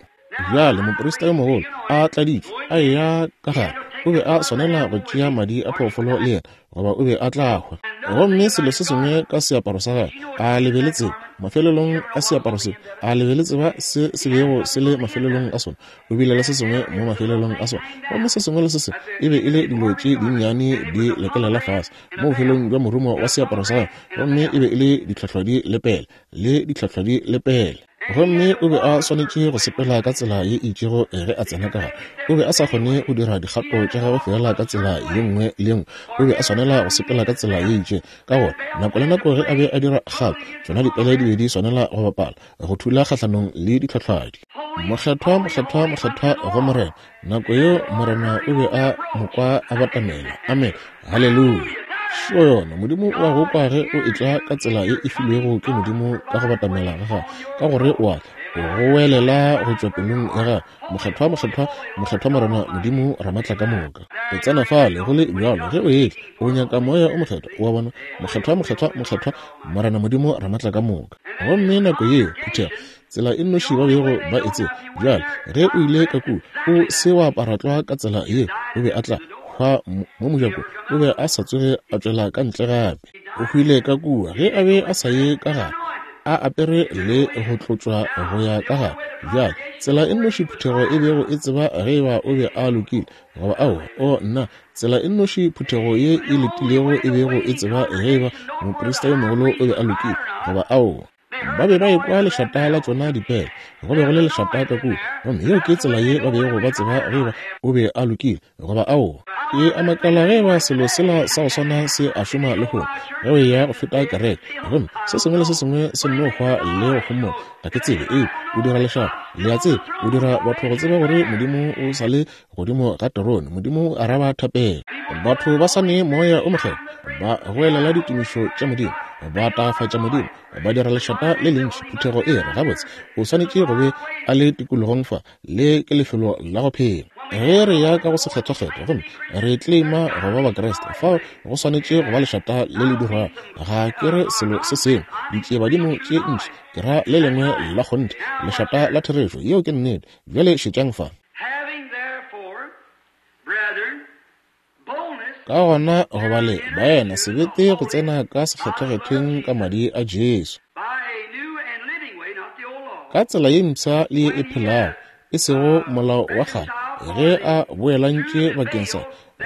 Bjale moprista yo mogolo a tladitšwe a eya ka gare, O be a swanela go tšea madi a phoofolo le yena, goba o be a tla hwa. Gomme selo se sengwe ka seaparo sa gagwe, a le be le tseba mafelelong a seaparo seo, a le be le tseba se se bego se le mafelelong a sona. O bile le se sengwe mo mafelelong a sona, gomme se sengwe le se sengwe e be e le dilo tše dinnyane di lekelela fase mo bofelong bja morumo wa seaparo sa gagwe, gomme e be e le ditlhohlodi le pele le ditlhohlodi le pele. Gomme o be a swanetše go sepela ka tsela ye itšego ge a tsena ka gare. O be a sa kgone go dira dikgato tša gagwe fela ka tsela ye nngwe le nngwe. O be a swanela go sepela ka tsela ye itšego, ka gore nako le nako ge a be a dira kgato, tšona dipele di be di swanela go bapala, go thula kgahlanong le ditlhohlwadi. Mokgethwa, mokgethwa, mokgethwa go Morena. Nako yeo Morena o be a mo kwa a batamela. Amen. Haleluya. Šo yona, Modimo o a go kwa ge o etla ka tsela ye e filwego ke Modimo ka go batamela ga gago, ka gore o a goelela go tšwa pelong ya gago, mokgethwa, mokgethwa, mokgethwa Morena Modimo Ramatla ka moka. O tsena fale go le bjalo ge o etla, o nyaka moya o mokgethwa, o a bona, mokgethwa, mokgethwa, mokgethwa Morena Modimo Ramatla ka moka. Gomme nako yeo phuthego, tsela e nnoši ba bego ba e tseba bjale, ge o ile ka kua o se wa apara tlwa ka tsela yeo, o be a tla hwa mo mojako, o be a sa tsoge a tšwela ka ntle gape. O hwile ka kua ge a be a sa ye ka gare, a apere le go tlotšwa go ya ka gare. Bjale tsela e nnoši phuthego e bego e tseba ge eba o be a lokile goba aowa, o nna, tsela e nnoši phuthego ye e letilego e bego e tseba ge eba moprista yo mogolo o be a lokile goba aowa, ba be ba ekwa lešata la tšona dipele. Go be go le lešata ka kua, gomme yeo ke tsela ye ba bego ba tseba ge eba o be a lokile goba aowa. Ke a makala ge eba selo sela sa go swana se a šoma lehono ge o eya go feta kereke, gomme se sengwe le se sengwe se nno hwa le go homola. Ga ke tsebe, ee, o dira lešata, le a tseba, o dira batho go tseba gore Modimo o sa le godimo ga terone. Modimo o araba thapelo. Batho ba sa ne moya o mokgethwa, ba goelela ditumišo tša Modimo, ba tagafatša Modimo, ba dira lešata le lentši. Phuthego e re, gabotse, o swanetše go be a le tikologong fa, le ke lefelo la go phela. Ge re ya ka go sekgethwakgethwa gomme re claima go ba Bakriste, fao go swanetše go ba lešata le le dirwago. Ga ke re selo se sengwe, ditšiebadimo tše ntši, ke ra le lengwe la kgonthe, lešata la therešo. Yeo ke nnete. Bjale šetšang fa. Ka gona go ba le baena sebete go tsena ka sekgethwakgethweng ka madi a Jesu, ka tsela ye mpsha le ye e phelago, e sego molao wa kgale, ge a boelantše bakeng sa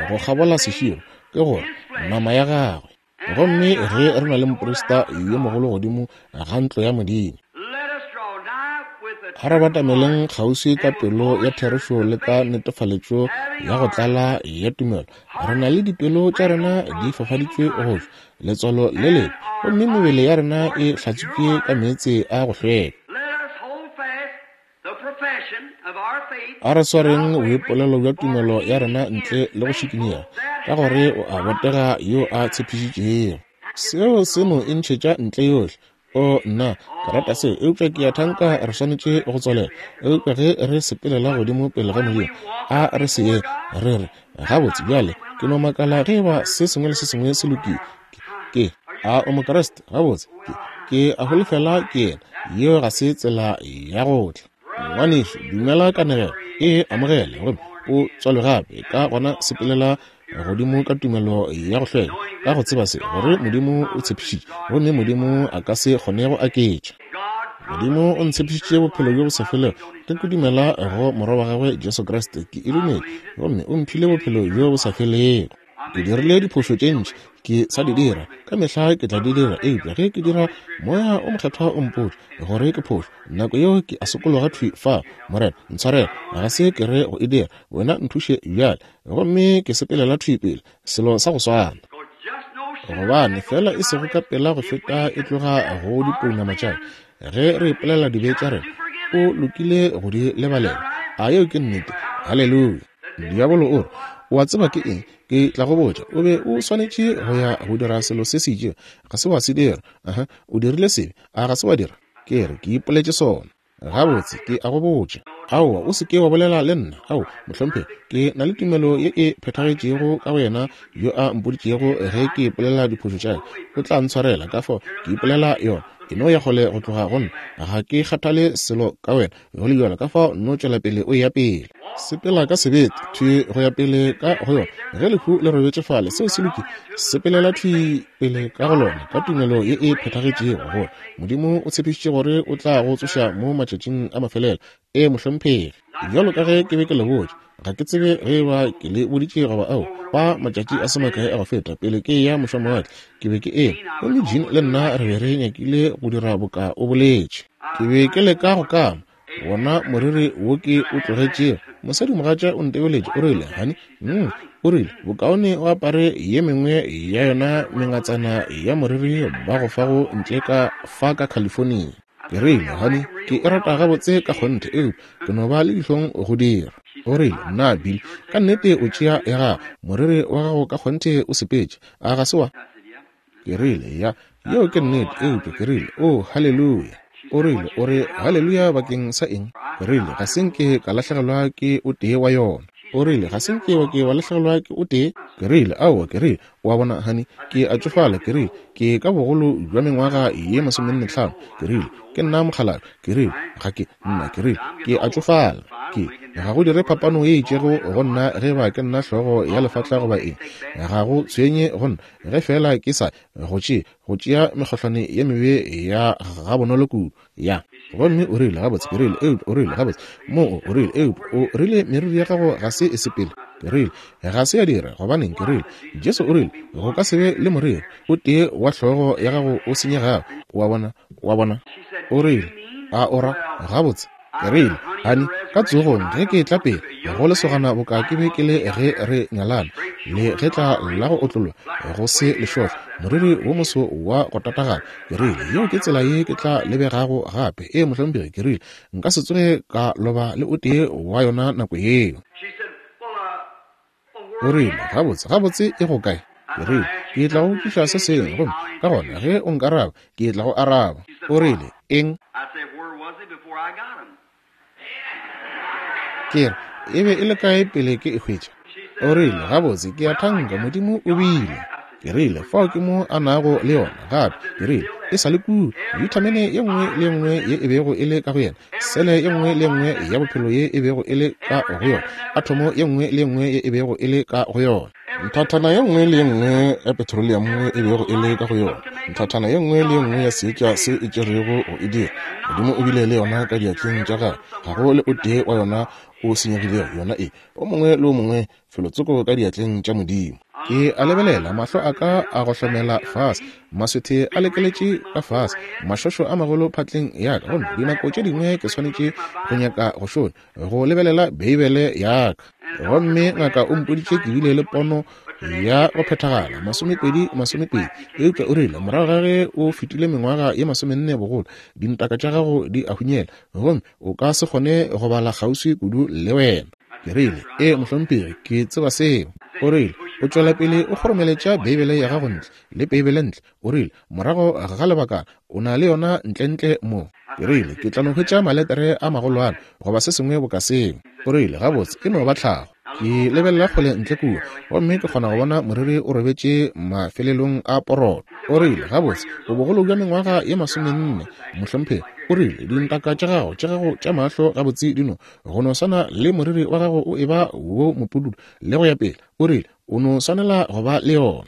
go kgabola seširo, ke gore nama ya gagwe. Gomme ge re na le moprista yo mogolo godimo ga ntlo ya Modimo, a re batameleng kgauswi ka pelo ya therešo le ka netefaletšo ya go tlala ya tumelo. Re na le dipelo tša rena di fafaditšwe go tšwa letswalo le lebe, gomme mebele ya rena e hlatswitšwe ka meetse a go hlweka. A re swareng boipolelo bja tumelo ya rena ntle le go šikinyega, ka gore o a botega yo a tshepišitšego. Seo se no e ntšhetša ntle yohle. O nna, ke rata seo, eupša ke a thanka re swanetše go tswalela. Eupša ge re sepelela godimo pele ga Modimo, a re se ye re re, gabotse bjale ke no makala ge eba se sengwe le se sengwe se lokile. Ke a o Mokriste? Gabotse, ke ke a holofela ke yena. Yeo ga se tsela ya go tla. Ngwanešu, dumela kanegelo, e amogele gomme o tswalwe gape. Ka gona sepelela godimo ka tumelo ya go hlweka, ka go tseba se, gore Modimo o tshepišitše, gomme Modimo a ka se kgone go aketša. Modimo o ntshepišitše bophelo bjo bo sa felego ge ke dumela go Morwa wa gagwe Jesu Kriste. Ke e dumele, gomme o mphile bophelo bjo bo sa felego. Ke dirile diphošo tše ntši, ke sa di dira, ka mehla ke tla di dira, eupša ge ke dira, moya o mokgethwa o mpotša gore ke phošo. Nako yeo ke a sokologa thwi fa, Morena, ntshwarele, ga se ke re go e dira, wena nthuše bjale. Gomme ke sepelela thwi pele, selo sa go swana. Gobane fela e sego ka pela go feta e tloga go dipounama tša ka, ge re ipolela dibe tša rena, o lokile go di lebalela. A yeo ke nnete? Haleluya. Diabolo o re, o a tseba ke eng? Ke tla go botša, o be o swanetše go ya go dira selo se se itšego, ga se wa se dira. Aha, o dirile sebe, a ga se wa dira? Ke re, ke ipoletše sona. Gabotse, ke a go botša. Aowa, o se ke wa bolela le nna. Ao, mohlomphegi, ke na le tumelo ye e phethagetšego ka wena yo a mpoditšego ge ke ipolela diphošo tša ka, o tla ntshwarela. Ka fao ke ipolela yona. E no ya kgole go tloga go nna. Ga ke kgathale selo ka wena, go le bjalo, ka fao nno tšwela pele o ya pele. Sepela ka sebete, thwi go ya pele ka go yona. Ge lehu le robetše fale, seo se lokile. Sepelela thwi pele ka go lona, ka tumelo ye e phethagetšego, gore Modimo o tshepišitše gore o tla go tsoša mo matšatšing a mafelelo. Ee, mohlomphegi. Bjalo ka ge ke be ke le botša, ga ke tsebe ge ba ke le boditše goba ao, fa matšatši a se makae a go feta pele ke ya mošwamowatle, ke be ke eme, gomme Jean le nna re be re nyakile go dira boka o boletše. Ke be ke leka go kama wona moriri wo ke o tlogetšego. Mosadimogatša o ntebeletše, o rile, "Honey, mm, o rile, bokaone o apare ye mengwe ya yona mengatsana ya moriri ba go fago ntle ka fa ka California." Ke rile, "Honey, ke e rata gabotse ka kgonthe, eupša ke no ba le dihlong go dira." O rile, "Nna, Bill, ka nnete o tšea ya gago, moriri wa gago ka kgonthe o sepetše, a ga se wa?" Ke rile, "Ya, yeo ke nnete, eupša," ke rile, "oh, haleluya." O rile, "O re haleluya bakeng sa eng?" Ke rile, "Ga se nke ka lahlegelwa ke o tee wa yona." O rile, "Ga se nke wa ke wa lahlegelwa ke o tee?" Ke rile, "Aowa." Ke rile, "O a bona, honey, ke a tšofala." Ke rile, "Ke ka bogolo bja mengwaga ye masomenne hlano." Ke rile, "Ke nna mokgalabje." Ke rile, "Ga ke nna." Ke rile, "Ke a tšofala." Ke ga go dire phapano ye itšego go nna ge ba ke nna hlogo ya lefatla goba eng. Ga go tshwenye go nna ge fela ke sa go tšee go tšea mekgohlwane ye mebe ya gabonolo kudu. Ya. Gomme o rile, "Gabotse." Ke rile, "Eupša," o rile, "gabotse mo." O rile, "Eupša," o rile, "meriri ya gago ga se e sepele." Ke rile, "Ga se ya dira." Gobaneng? Ke rile, "Jesu o rile go ka se be le moriri o tee wa hlogo ya gago o senyegago." Wa bona? Wa bona? O rile, "A o ra gabotse?" Ke rile, "Honey, ka tsogong ge ke tla pele go lesogana boka ke be ke le ge re nyalana, le ge tla la go otlollwa go se lešohlo, moriri wo moso wa go tatagana." Ke rile, "Yeo ke tsela ye ke tla lebegago gape." Ee, mohlomphegi. Ke rile, "Nka se tsoge ka loba le o tee wa yona nako yeo." O rile, "Gabotse, gabotse e go kae?" Ke rile, "Ke tla go tliša se sengwe, gomme ka gona ge o nkaraba, ke tla go araba." O rile, "Eng?" Ke re, "E be e le kae pele ke e hwetša?" O rile, "Gabotse, ke a thanka Modimo o bile." Ke rile, "Fao ke mo a nago le yona gape." Ke rile, "E sa le kua, vitamine ye nngwe le ye nngwe ye e bego e le ka go yena, sele ye nngwe le ye nngwe ya bophelo ye e bego e le ka go yona, athomo ye nngwe le ye nngwe ye e bego e le ka go yona, nthathana ye nngwe le ye nngwe ya petroleum e bego e le ka go yona, nthathana ye nngwe le ye nngwe ya seetša se e tšerego go e dira, Modimo o bile le yona ka diatleng tša gagwe. Ga go le o tee wa yona o senyegilego. Yona e o mongwe le o mongwe felotsoko ka diatleng tša Modimo." Ke a lebelela, mahlo a ka a go hlomela fase, maswethe a lekeletše ka fase, mašošo a magolo phatleng ya ka, gomme dinako tše dingwe ke swanetše go nyaka go šonya go lebelela Beibele ya ka. Gomme ngaka o mpoditše ke bile le pono ya go phethagala masomepedi masomepedi, eupša o rile morago ga ge o fetile mengwaga ye masomenne bogolo, dintaka tša gago di a hunyela, gomme o ka se kgone go bala kgauswi kudu le wena. Ke rile, "Ee, mohlomphegi, ke tseba seo." O rile, "O tšwela pele o kgoromeletša Beibele ya gago ntle le Beibele ntle." O rile, "Morago ga lebakana o na le yona ntlentle mo." Ke rile, "Ke tla no hwetša maletere a magolwane goba se sengwe boka seo." O rile, "Gabotse, e no ba tlhago." Ke lebelela kgole ntle kua, gomme ke kgona go bona moriri o robetše mafelelong a poroto. O rile, "Gabotse, o bogolo bja mengwaga ye masomenne, mohlomphegi." O rile, "Dintaka tša gago tša gago tša mahlo gabotse di no go no swana le moriri wa gago o eba wo mopududu le go ya pele." O rile, "O no swanela go ba le yona."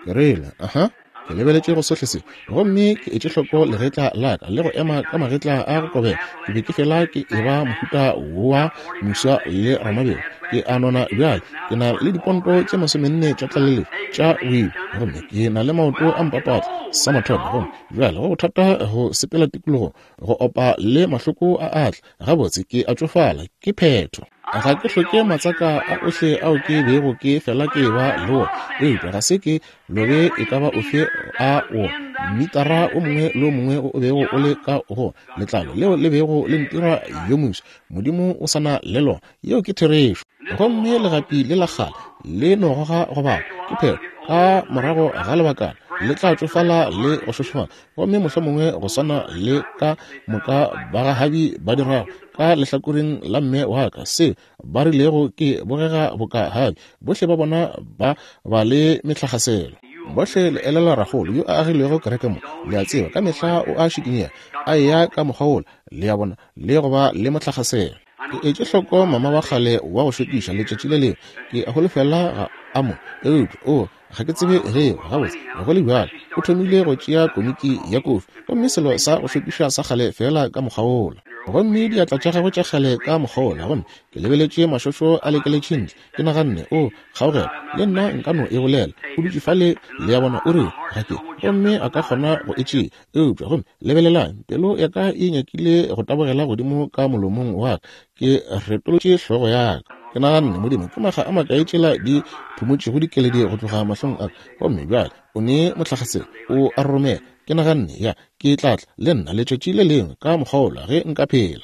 Ke rile, "Aha." Ke lebeletše go sohle se, gomme ke etše hloko legetla la ka le go ema ka magetla a go kobela. Ke be ke fela ke eba mohuta wa moswa le ramabelo. Ke a nona bjale, ke na le diponto tše masomenne tša tlaleletšo tša boima, gomme ke na le maoto a mpapatla sa mathomo, gomme bjale go bothata go sepela tikologong, go opa le mahloko a atla. Gabotse, ke a tšofala, ke phetho. Ga ke hloke matsaka a ohle ao ke bego ke fela ke ba le wona, eupša ga se ke lobe e ka ba ofe a wona. Mmitara o mongwe le o mongwe o bego o le ka go letlalo leo le bego le ntira yo moswa, Modimo o sa na le lona. Yeo ke therešo. Gomme legapi le la kgale le no goga go baba, ke phetho. Ka morago ga lebakana le tla tšofala le go šošofala, gomme mohlomongwe go swana le ka moka bagahabi ba dirago ka lehlakoreng la mme wa ka, se ba rilego ke bogega boka habi, bohle ba bona ba ba le metlhagaselo. Bohle le elelwa ragolo yo a agilego kereke mo, le a tseba, ka mehla o a šikinyega, a eya ka mokgwa wola, le a bona, le go ba le motlakgaselo. Ke etše hloko mama wa kgale wa go šokiša letšatši le lengwe, ke a holofela ga a mo, eupša o ga ke tsebe ge gabotse go le bjalo, o thomile go tšea komiki ya kofi, gomme selo sa go šokiša sa kgale fela ka mokgwa wola, gomme diatla tša gagwe tša kgale ka mokgwa wola, gomme ke lebeletše mašošo a lekeletše ntle, ke naganne, o kgaogelo, le nna nka no e bolela, o dutše fale, le a bona, o re ga ke, gomme a ka kgona go e tšea, eupša gomme lebelelang, pelo ya ka e nyakile go tabogela godimo ka molomong wa ka, ke retolotše hlogo ya ka. Ke naganne, Modimo, ke makga a makae tšela di phumotšego dikeledi go tloga mahlong a ka, gomme bjale o ne motlakgaselo, o a roromela. Ke naganne, ya, ke tla tla le nna letšatši le lengwe ka mokgwa wola ge nka phela.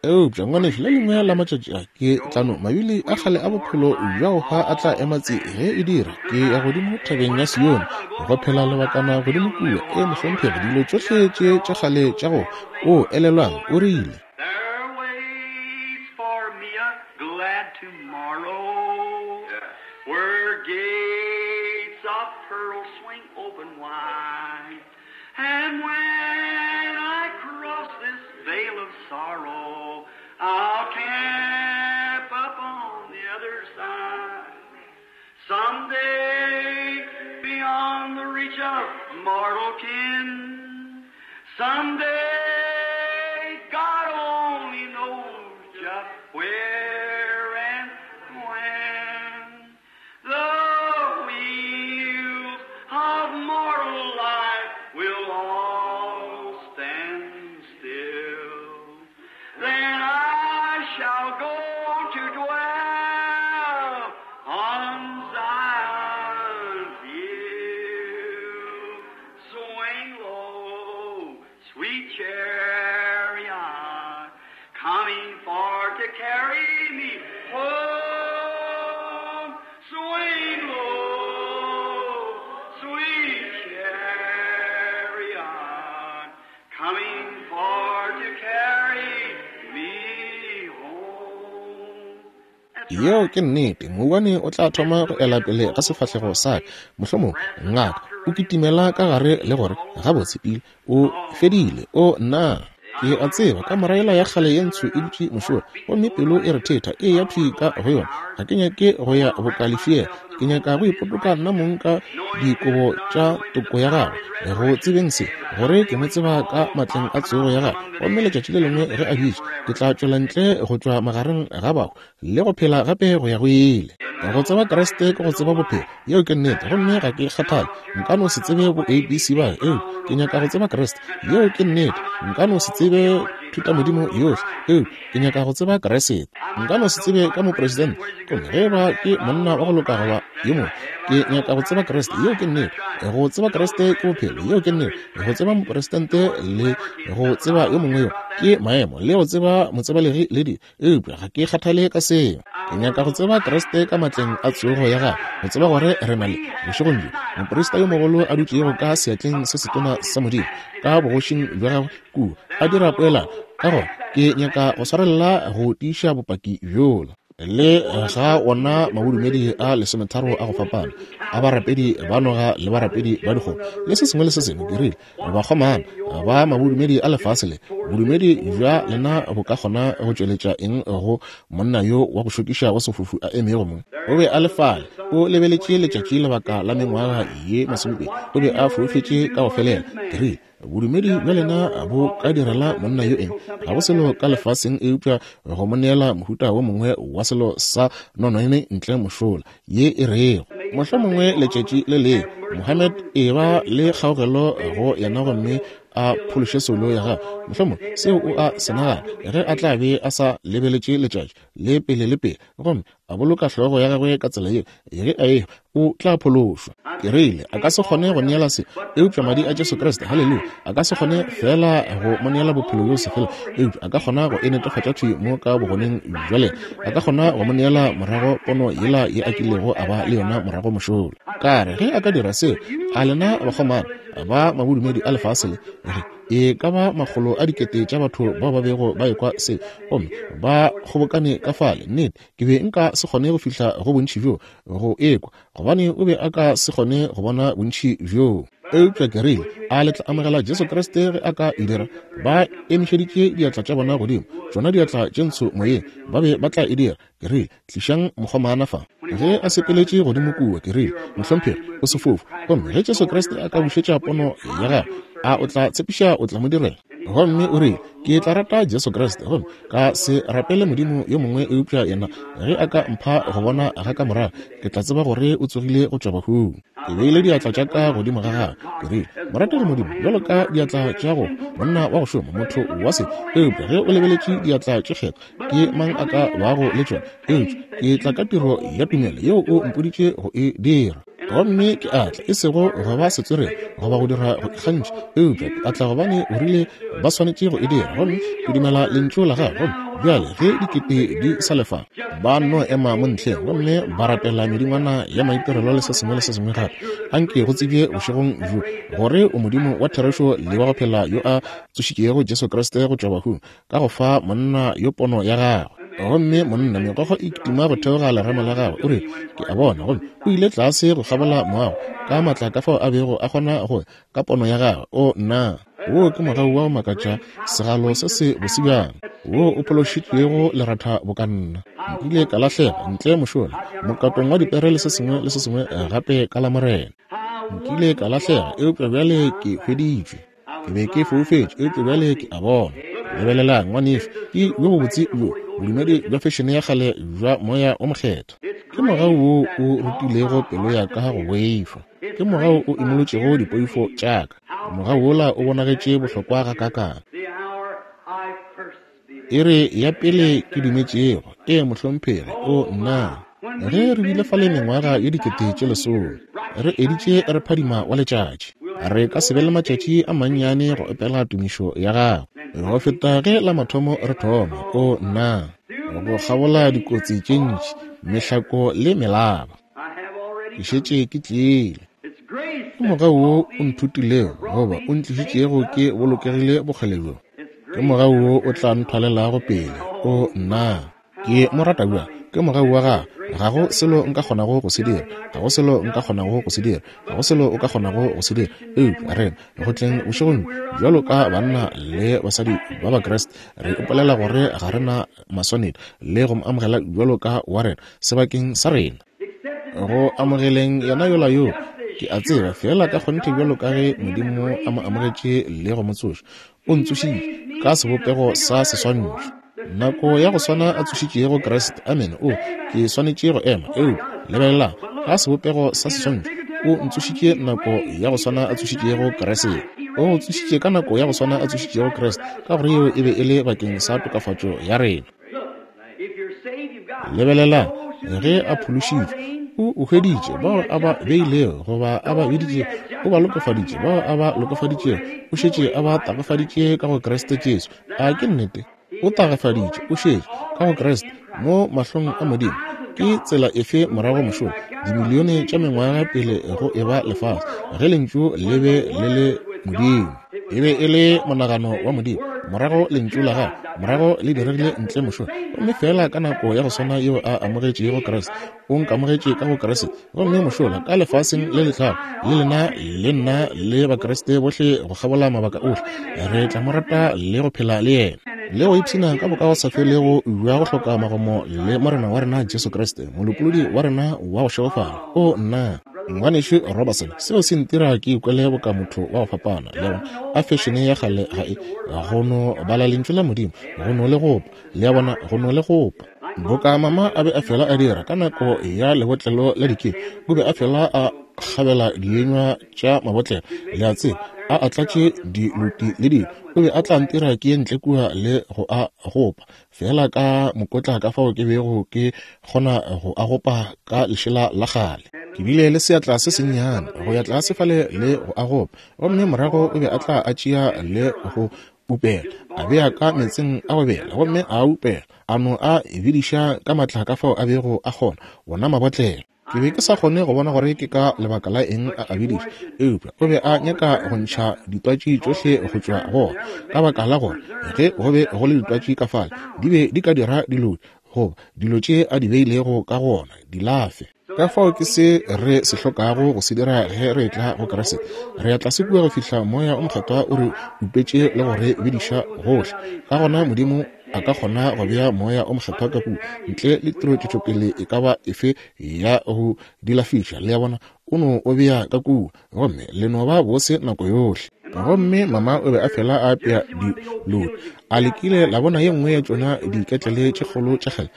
Eupša ngwanešu, le lengwe la matšatši a ke tlano mabili a kgale a bophelo bja go hwa a tla ema tse ge e dira, ke ya godimo thabeng ya Sione go phela lebakana godimo kua. E mohlomphegi, dilo tšohle tše tša kgale tša go o elelwang, o rile, tomorrow, where gates of pearl swing open wide, and when I cross this vale of sorrow, I'll camp up on the other side. Someday, beyond the reach of mortal ken, someday, God only knows just where and when. The wheels of mortal life will all stand still. Then I shall go to dwell on Zion's hill. Swing low, sweet chariot, coming for to carry me home. Swing low, sweet chariot, coming for to carry me home. Yeo ke nnete, mouwane o tla thoma go ela pele ga sefahlego sa ka, mohlomong ngaka o kitimela ka gare le gore gabotse pile o fedile, o nna ke a tseba kamora yela ya kgale ye ntsho e dutše mošola, gomme pelo e re thetha e ya thwi ka go yona. Ga ke nyake go ya bokalefia, ke nyaka go ipotoka nna mong ka dikobo tša toko ya gagwe, go tsebeng se gore ke mo tseba ka matleng a tsogo ya gagwe, gomme letšatši le lengwe ge a bitša ke tla tšwela ntle go tšwa magareng ga bahu le go phela gape go ya go ile. Go tseba Kriste ke go tseba bophelo, yeo ke nnete, gomme ga ke kgathale, nka no se tsebe bo A B C ba, eo ke nyaka go tseba Kriste, yeo ke nnete, nka no se tsebe thutamodimo yohle, eo ke nyaka go tseba Kriste, nka no se tsebe ka mopresidente, gomme ge ba ke monna wa go loka goba yo mongwe, ke nyaka go tseba Kriste, yeo ke nnete. Go tseba Kriste ke bophelo, yeo ke nnete. Go tseba mopresidente le go tseba yo mongwe yo ke maemo, le go tseba motsebalegi le di, eupša ga ke kgathale ka seo. Ke nyaka go tseba Kriste ka matleng a tsogo ya gagwe, go tseba gore re na le bošegong bjo moprista yo mogolo a dutšego ka seatleng se setona sa Modimo ka bogošing bja gagwe kua a dira poelano. Ka gona ke nyaka go swarelela go tiiša bopaki bjola le ga ona mabodumedi a lesometharo a go fapana a barapedi ba noga le barapedi ba dikgomo le se sengwe le se sengwe. Ke rile bakgomana ba mabodumedi a lefase le, bodumedi bja lena bo ka kgona go tšweletša eng go monna yo wa go šokiša wa sefofu a emego mo? O be a le fale, o lebeletše letšatši lebaka la mengwaga ye masomepedi, o be a foufetše ka go felela. Ke rile bodumedi bja lena bo ka direla monna yo eng? Ga go selo ka lefaseng eupša go mo neela mohuta wo mongwe wa selo sa nonwane ntle mošola ye e rego mohlomongwe letšatši le lengwe Mohammed e ba le kgaogelo go yena gomme a phološe soulo ya gagwe. Mohlomongwe seo o a se nagana ge a tla be a sa lebeletše letšatši le pele le pele gomme a boloka hlogo ya gagwe ka tsela yeo, ge a ehwa o tla phološwa. Ke rile a ka se kgone go neela se, eupša madi a Jesu Kriste, haleluya, a ka se kgone fela go mo neela bophelo bjo se fela, eupša a ka kgona go e netefatša thwi mo ka bogoneng bja lena, a ka kgona go mo neela morago pono yela ye a kilego a ba le yona morago mošola. Ka re ge a ka dira seo, a lena bakgomana ba mabodumedi a lefase le, re E ka ba makgolo a dikete tša batho bao ba bego ba ekwa se, gomme ba kgobokane ka fale. Nnete, ke be nka se kgone go fihla go bontši bjo go ekwa, gobane o be a ka se kgone go bona bontši bjo. Eupša ke rile, a le tla amogela Jesu Kriste ge a ka e dira? Ba emišeditše diatla tša bona godimo, tšona diatla tše ntsho moyeng, ba be ba tla e dira. Ke rile, tlišang mokgomana fa. Ge a sepeletše godimo kua, ke rile, mohlomphegi, o sefofu, gomme ge Jesu Kriste a ka bušetša pono ya gagwe, a o tla tshepiša o tla mo direla? Gomme o rile, ke tla rata Jesu Kriste, gomme ka se rapele Modimo yo mongwe eupša yena. Ge a ka mpha go bona ga ka morago, ke tla tseba gore o tsogile go tšwa bahung. Ke beile diatla tša ka godimo ga gagwe. Ke rile, morategi Modimo, bjalo ka diatla tša go monna wa go šoma, motho wa se, eupša ge o lebeletše diatla tše kgethwa, ke mang a ka bago le tšona? Eupša ke tla ka tiro ya tumelo yeo o mpoditše go e dira. Gomme ke atla, e sego go ba setswerere goba go dira go ikgantšha, eupša ke atla gobane o rile ba swanetše go e dira, gomme ke dumela lentšu la gagwe. Gomme bjale ge dikete di sa lefa, ba no ema mo ntlheng gomme ba rapela medingwana ya maitirelo le se sengwe le se sengwe gape. Anke go tsebje bošegong bjo gore o Modimo wa therešo le wa go phela yo a tsošitšego Jesu Kriste go tšwa bahung, ka go fa monna yo pono ya gagwe. Gomme monna megokgo e kitima go theoga lerama la gagwe, o re, ke a bona. Gomme o ile tlase go kgabola moago ka matla ka fao a bego a kgona go ka pono ya gagwe. O nna, wo ke mogau wa go makatša, segalo se se bose bjang, wo o phološitšwego leratha boka nna. Nkile ka lahlega ntle mošola mokatong wa dipere le se sengwe le se sengwe gape ka la Morena. Nkile ka lahlega, eupša bjale ke hweditšwe. Ke be ke foufetše, eupša bjale ke a bona. Lebelelang, ngwanešu, ke bjo bobotse bjo bodumedi bja fešene ya kgale bja moya o mokgethwa. Ke mogau wo o rutilego pelo ya ka go boifa. Ke mogau o imolotšego dipoifo tša ka. Mogau wola o bonagetše bohlokwa gakaakang. E re ya pele ke dumetšego, e mohlomphegi, o nna. Ge re bile fale mengwaga ye dikete tše lesome, re editše re phadima wa letšatši, re ka se be le matšatši a mannyane go opela tumišo ya gagwe go feta ge la mathomo re thoma. O nna, go kgabola dikotsi tše ntši, mehlako le melaba, ke šetše ke tlile. Ke mogau wo o nthutilego goba o ntlišitšego ke bolokegile bokgole bjo. Ke mogau wo o tla nthwalelago pele. O nna, ke mo rata bjang. Ke mogau wa gagwe. Ga go selo nka kgonago go se dira, ga go selo nka kgonago go se dira, ga go selo o ka kgonago go se dira. Eupša rena go tleng bošegong bjalo ka banna le basadi ba Bakriste, re ipolela gore ga re na maswanedi le go mo amogela bjalo ka wa rena sebakeng sa rena. Go amogeleng yena yola yo, ke a tseba fela ka kgonthe bjalo ka ge Modimo a mo amogetše le go mo tsoša, o ntsošitše ka sebopego sa seswantšho. Nako ya go swana a tsošitšego Kriste, amen, o ke swanetše go ema. Eupša lebelelang, ka sebopego sa seswantšho o ntsošitše nako ya go swana a tsošitšego Kriste. O tsošitše ka nako ya go swana a tsošitšego Kriste, ka gore yeo e be e le bakeng sa tokafatšo ya rena. Lebelelang, ge a phološitšwe, o o hweditše bao a ba beilego goba a ba biditše, o ba lokofaditše bao a ba lokofaditšego, o šetše a ba tagafaditše ka go Kriste Jesu. A ke nnete? O tagafaditše, o šetše ka go Kriste mo mahlong a Modimo. Ke tsela efe morago mošola, dimilione tša mengwaga pele go eba lefase, ge lentšu le be le le Modimo, e be e le monagano wa Modimo, morago lentšu la gagwe morago le diregile ntle mošola. Gomme fela ka nako ya go swana yeo a amogetšego Kriste, o nkamogetše ka go Kriste. Gomme mošola ka lefaseng le letlago, le lena le nna le Bakriste bohle go kgabola mabaka ohle, re tla mo rata le go phela le yena le go ipshina ka bokagosafelego bja go hloka magomo le Morena wa rena Jesu Kriste, molopolodi wa rena wa go šegofala. O nna, ngwanešu Robertson, seo se ntira ke ikwele boka motho wa go fapana. Le bona, a fešene ya kgale ga e go no bala lentšu la Modimo, go no le gopa. Le a bona, go no le gopa. Boka mama a be a fela a dira ka nako ya lebotlelo la dikeng, o be a fela a kgabela dienywa tša mabotlelo, le a tseba, a a tlatše diluti le dilo. O be a tla ntira ke ye ntle kua le go a gopa fela ka mokotla ka fao ke bego ke kgona go a gopa ka lešela la kgale. Ke bile le seatla se sennyane go ya tlase fale le go a gopa, gomme morago o be a tla a tšea le go upela, a bea ka meetseng a go bela, gomme a upela, a no a bidiša ka matla ka fao a bego a kgona, wona mabotlelo. Ke be ke sa kgone go bona gore ke ka lebaka la eng a a biditše, eupša o be a nyaka go ntšha ditwatši tšohle go tšwa go ona, ka baka la gore ge go be go le ditwatši ka fale di be di ka dira dilo goba dilo tše a di beilego ka go ona di lafe. Ka fao ke se re se hlokago go se dira ge re etla go Kriste. Re ya tlase kua go fihla Moya o Mokgethwa o re upetše le go re bediša gohle. Ka gona Modimo a ka kgona go bea Moya o Mokgethwa ka kua ntle le tiro tšwetšopele e ka ba efe ya go dilafiša. Le a bona, o no o bea ka kua gomme le no ba bose nako yohle. Gomme mama o be a fela a apea dilodi. A lekile la bona ye nngwe ya tšona diketlele tše kgolo tša kgale.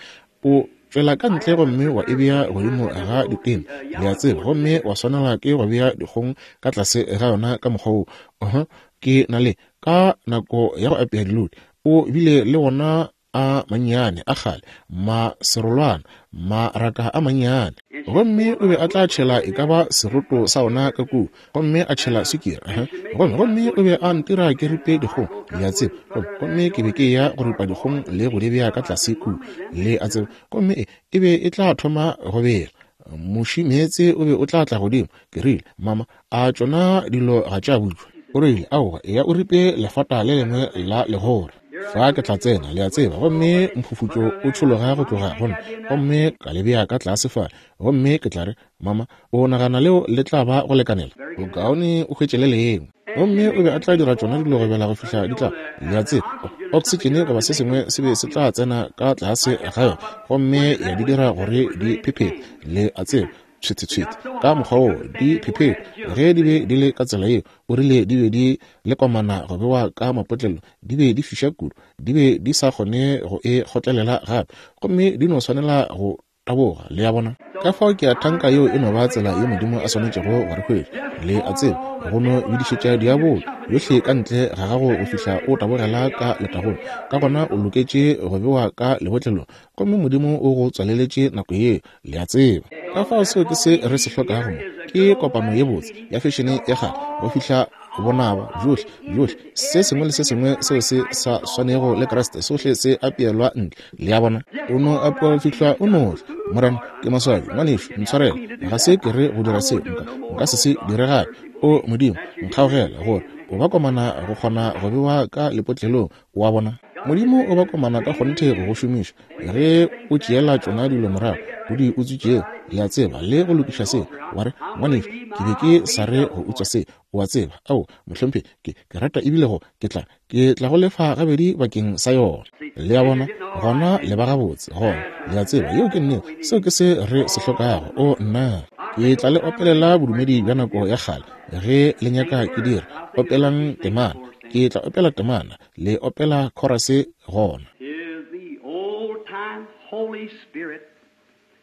O tšwela ka ntle gomme wa e bea godimo ga ditene, le a tseba, gomme wa swanela ke go bea dikgong ka tlase ga yona ka mokgwa wo. Uh-huh. Ke na le ka nako ya go apea dilodi, o bile le wona a mannyane a kgale, maserolwana, maraka a mannyane. Gomme o be a tla tšhela e ka ba seroto sa ona ka kua, gomme a tšhela sukiri. Uh-huh. Gomme gomme o be a ntira ke ripe dikgong, le a tseba. Gomme ke be ke ya go ripa dikgong le go di bea ka tlase kua, le a tseba. Gomme e, e be e tla thoma go bela. Moši meetse o be o tla tla godimo. Ke rile, mama, a tšona dilo ga tša butšwa? O rile, aowa, eya o ripe lefata le lengwe la legora. Fa ke tla tsena, le a tseba, gomme mphufutšo o tšhologa go tloga go nna, gomme ka le bea ka tlase fale. Gomme ke tla re, mama, o nagana leo le tla ba go lekanela? Bokaone o hwetše le lengwe. Gomme o be a tla dira tšona dilo go bela go fihla di tla, le a tseba, oksitšene goba se sengwe se be se tla tsena ka tlase ga yona, gomme ya di dira gore di phephete, le a tseba, tshwete-tshwete ka mokgwa wo di phephete. Ge di be di le ka tsela yeo, o rile di be di le komana go bewa ka mapotlelo, di be di fiša kudu, di be di sa kgone go e kgotlelela gape, gomme di no swanela go taboga, le a bona. Ka fao ke a thanka yeo e no ba tsela ye Modimo a swanetšego go re hwetša, le a tseba, go no bedišetša diabolo yohle ka ntle ga gago go fihla o tabogela ka letagong. Ka gona o loketše go bewa ka lebotlelong, gomme Modimo o go tswaleletše nako yeo, le a tseba. Ka fao seo ke se re se hlokago mo, ke kopano ye botse ya fešene ya kgale go fihla bonaba bjohle bjohle se sengwe le se sengwe seo se sa swanego le Kriste sohle se apeelwa ntle, le a bona. O no apewa go fihla o no tla. Morena, ke maswabi, ngwanešu, ntshwarele, ga se ke re go dira seo, nka nka se se dire gape. O Modimo, nkgaogele gore o ba komana go kgona go bewa ka lepotlelong, wa bona. Modimo o ba komana ka kgonthe go go šomiša ge o tšeela tšona dilo morago o di utswitšego, le a tseba, le go lokiša seo. Wa re, ngwanešu, ke be ke sa re go utswa se, o a tseba. Ao, mohlomphegi, ke ke rata ebile go ke tla ke tla go lefa gabedi bakeng sa yona. Le a bona, gona le ba gabotse gona, le a tseba, yeo ke nnete. Seo ke se re se hlokago. O nna, ke tla le opelela bodumedi bja nako ya kgale ge le nyaka ke dira. Opelang temana, ke tla opela temana, le opela chorus gona. Is the old time Holy Spirit,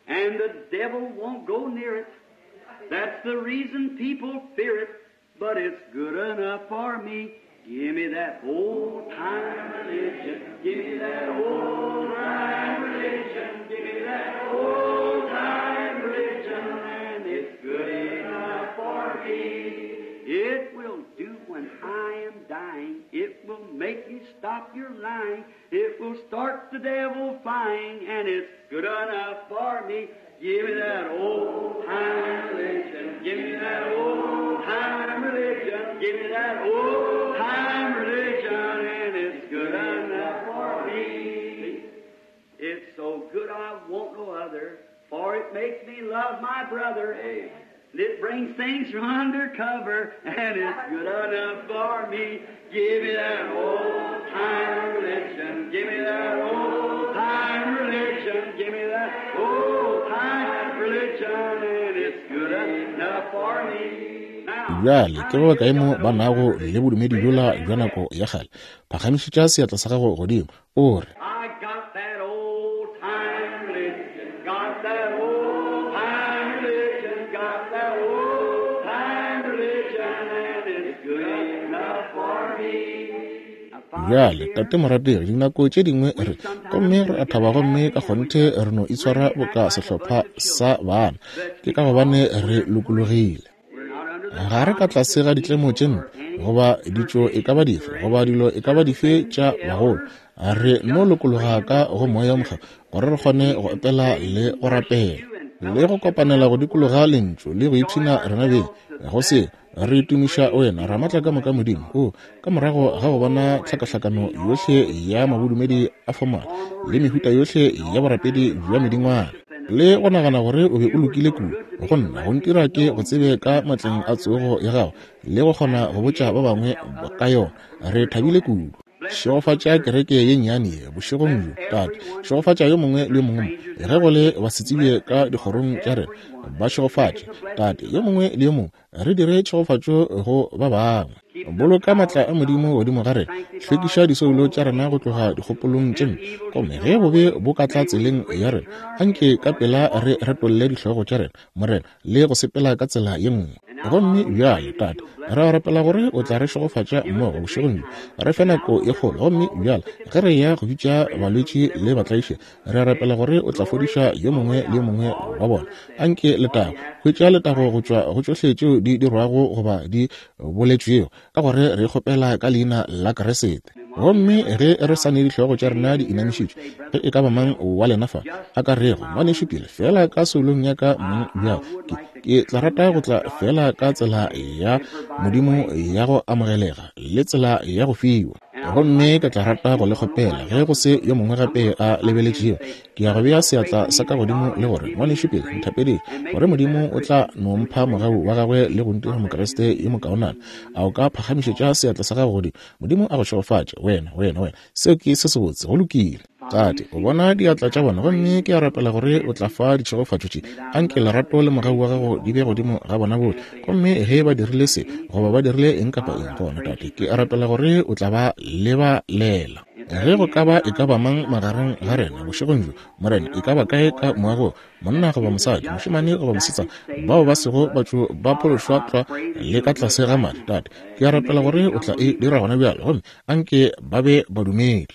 and the devil won't go near it. That's the reason people fear it, but it's good enough for me. Give me that old time religion. Give me that old time religion. Give me that old time religion, and it's good enough for me. It will do when I am dying. It will make you stop your lying. It will start the devil flying, and it's good enough for me. Give me that old time religion. Give me that old time religion. Give me that old time religion, and it's good enough for me. It's so good I want no other, for it makes me love my brother. And it brings things from under cover, and it's good enough for me. Give me that old time religion. Give me that old time religion. Give me that old time religion, and it's good enough for me. Now, Bjale ke ba bakae mo ba nago le bodumedi bjola bja nako ya kgale? Phagamišetša seatla sa gago godimo o re, I got that old time religion. Got that old time religion. Got that old time religion, and it's good enough for me. Now, Father, Bjale, dear, tate morategi, dinako tše dingwe re gomme re a thaba gomme ka kgonthe re no itshwara boka sehlopha sa bana. Ke ka gobane re lokologile. we're not under the Ga re ka tlase ga ditlemo tše mpe goba ditšo e ka ba dife goba dilo e ka ba dife tša bagolo. Re no lokologa ka go Moya o Mokgethwa gore re kgone go opela le go rapela. le go kopanela go dikologa lentšu le go ipshina rena beng go se re tumiša wena Ramatla ka moka Modimo. O ka morago ga go bona tlhakahlakano yohle ya mabodumedi a formal le mehuta yohle ya borapedi bja medingwana, le go nagana gore o be o lokile kudu go nna go ntira ke go tsebe ka matleng a tsogo ya gago le go kgona go botša ba bangwe ka yona, re thabile kudu. Šegofatša kereke ye nnyane ye bošegong bjo, Tate. Šegofatša yo mongwe le yo mongwe mo, ge go le basetsebje ka dikgorong tša rena, ba šegofatše, Tate. Yo mongwe le yo mongwe re dire tšhegofatšo go ba bangwe. Boloka matla a Modimo godimo ga rena, hlwekiša disoulo tša rena go tloga dikgopolong tše mpe, gomme ge bobe bo ka tla tseleng ya rena, anke ka pela re retolle dihlogo tša rena, Morena, le go sepela ka tsela ye nngwe. Gomme bjale, Tate, re a rapela gore o tla re šegofatša mmogo bošegong bjo, re fe nako ye kgolo. Gomme bjale ge re ya go bitša balwetši le batlaiši, re a rapela gore o tla fodiša yo mongwe le yo mongwe wa bona. Anke letago, hwetša letago go tšwa go tšohle tšeo di dirwago goba di boletšwego, ka gore re kgopela ka leina la Kriste. Gomme ge re sa ne dihlogo tša rena di inamišitšwe, ge e ka ba mang wa lena fa a ka rego, ngwanešu pele fela ka soulong ya ka mong bjale, ke, ke tla rata go tla fela ka tsela ya Modimo ya go amogelega le tsela ya go fiwa. Gomme ke tla rata go le kgopela, ge go se yo mongwe gape a lebeletšego, ke ya go bea seatla sa ka godimo le gore, ngwanešu pele, nthapedile gore Modimo o tla no mpha mogau wa gagwe le go ntira Mokriste yo mokaonana. A o ka phagamišetša seatla sa gago godimo? Modimo a go šegofatše, wena, wena, wena. Seo ke se sebotse, go lokile. Tate, o bona diatla tša bona, gomme ke a rapela gore o tla fa ditšhegofatšo tše. Anke lerato le mogau wa gago di be godimo ga bona bohle. Gomme ge ba dirile se, goba ba dirile eng kapa eng, gona, Tate, ke a rapela gore o tla ba lebalela. Ge go ka ba e ka ba mang magareng ga rena bošegong bjo, Morena, e ka ba kae ka moagong, monna goba mosadi, mošemane goba mosetsana, bao ba sego batho ba phološwa tlwa le ka tlase ga madi, Tate, ke a rapela gore o tla e dira gona bjale, gomme anke ba be badumedi.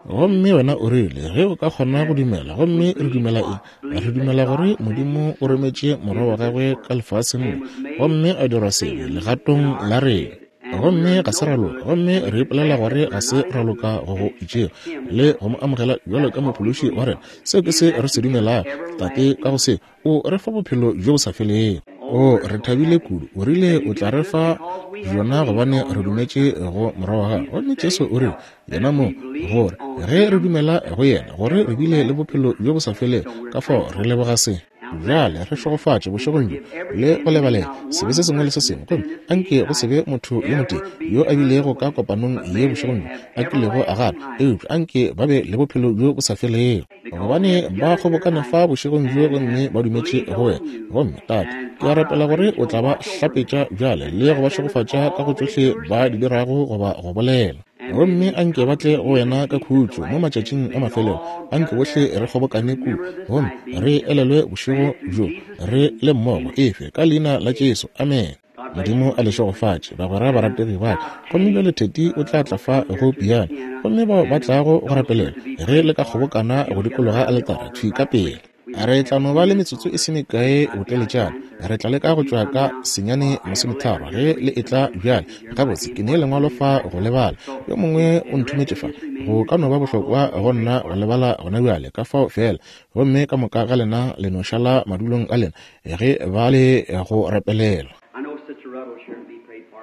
Gomme wena o rile, ge o ka kgona go dumela. Gomme re dumela eng? Re dumela gore Modimo o rometše morwa wa gagwe ka lefaseng le, gomme a dirwa sebe legatong la rena. Gomme ga se ra loka, gomme re ipolela gore ga se ra loka go go itšego le go mo amogela bjalo ka mophološi wa rena. Seo ke se re se dumelago, Tate. Ka go se o re fa bophelo bjo bo sa felego. O re thabile kudu. O rile o tla re fa bjona gobane re dumetše go morwa wa gagwe. Gomme Jesu o rile yena mo, gore ge re dumela go yena, gore re bile le bophelo bjo bo sa felego. Ka fao re leboga se. Bjale re šegofatše bošegong bjo le go lebalela sebe se sengwe le se sengwe, gomme anke go se be motho yo motee yo a bilego ka kopanong ye bošegong bjo a kilego a gana, eupša anke ba be le bophelo bjo bo sa felego, gobane ba kgobokane fa bošegong bjo gomme ba dumetše go wena. Gomme Tate, ke a rapela gore o tla ba hlapetša bjale le go ba šegofatša ka go tšohle ba di dirago goba go bolela. Gomme anke ba tle go wena ka khutšo mo matšatšing a mafelelo. Anke bohle re kgobokane kudu, gomme re elelwe bošego bjo re le mmogo. Efe ka leina la Jesu, amen. Modimo a le šegofatše, bagwera barategi ba ka. Gomme bjale Theti o tla tla fa go piano, gomme bao ba tlago go rapelela, ge le ka kgobokana go dikologa aletara thwi ka pele. Re tla no ba le metsotso e se mekae boteletšana. Re tla leka go tšwa ka senyane masometharo ge le etla bjale. Gabotse, ke ne lengwalo fa go lebala. Yo mongwe o nthometše fa. Go ka no ba bohlokwa go nna go lebala gona bjale, ka fao fela. Gomme ka moka ga lena le no šala madulong a lena ge ba le go rapelela.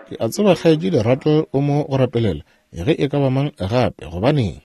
Ke a tseba kgaetšedi Rattle o mo go rapelela, ge e ka ba mang gape. Gobaneng?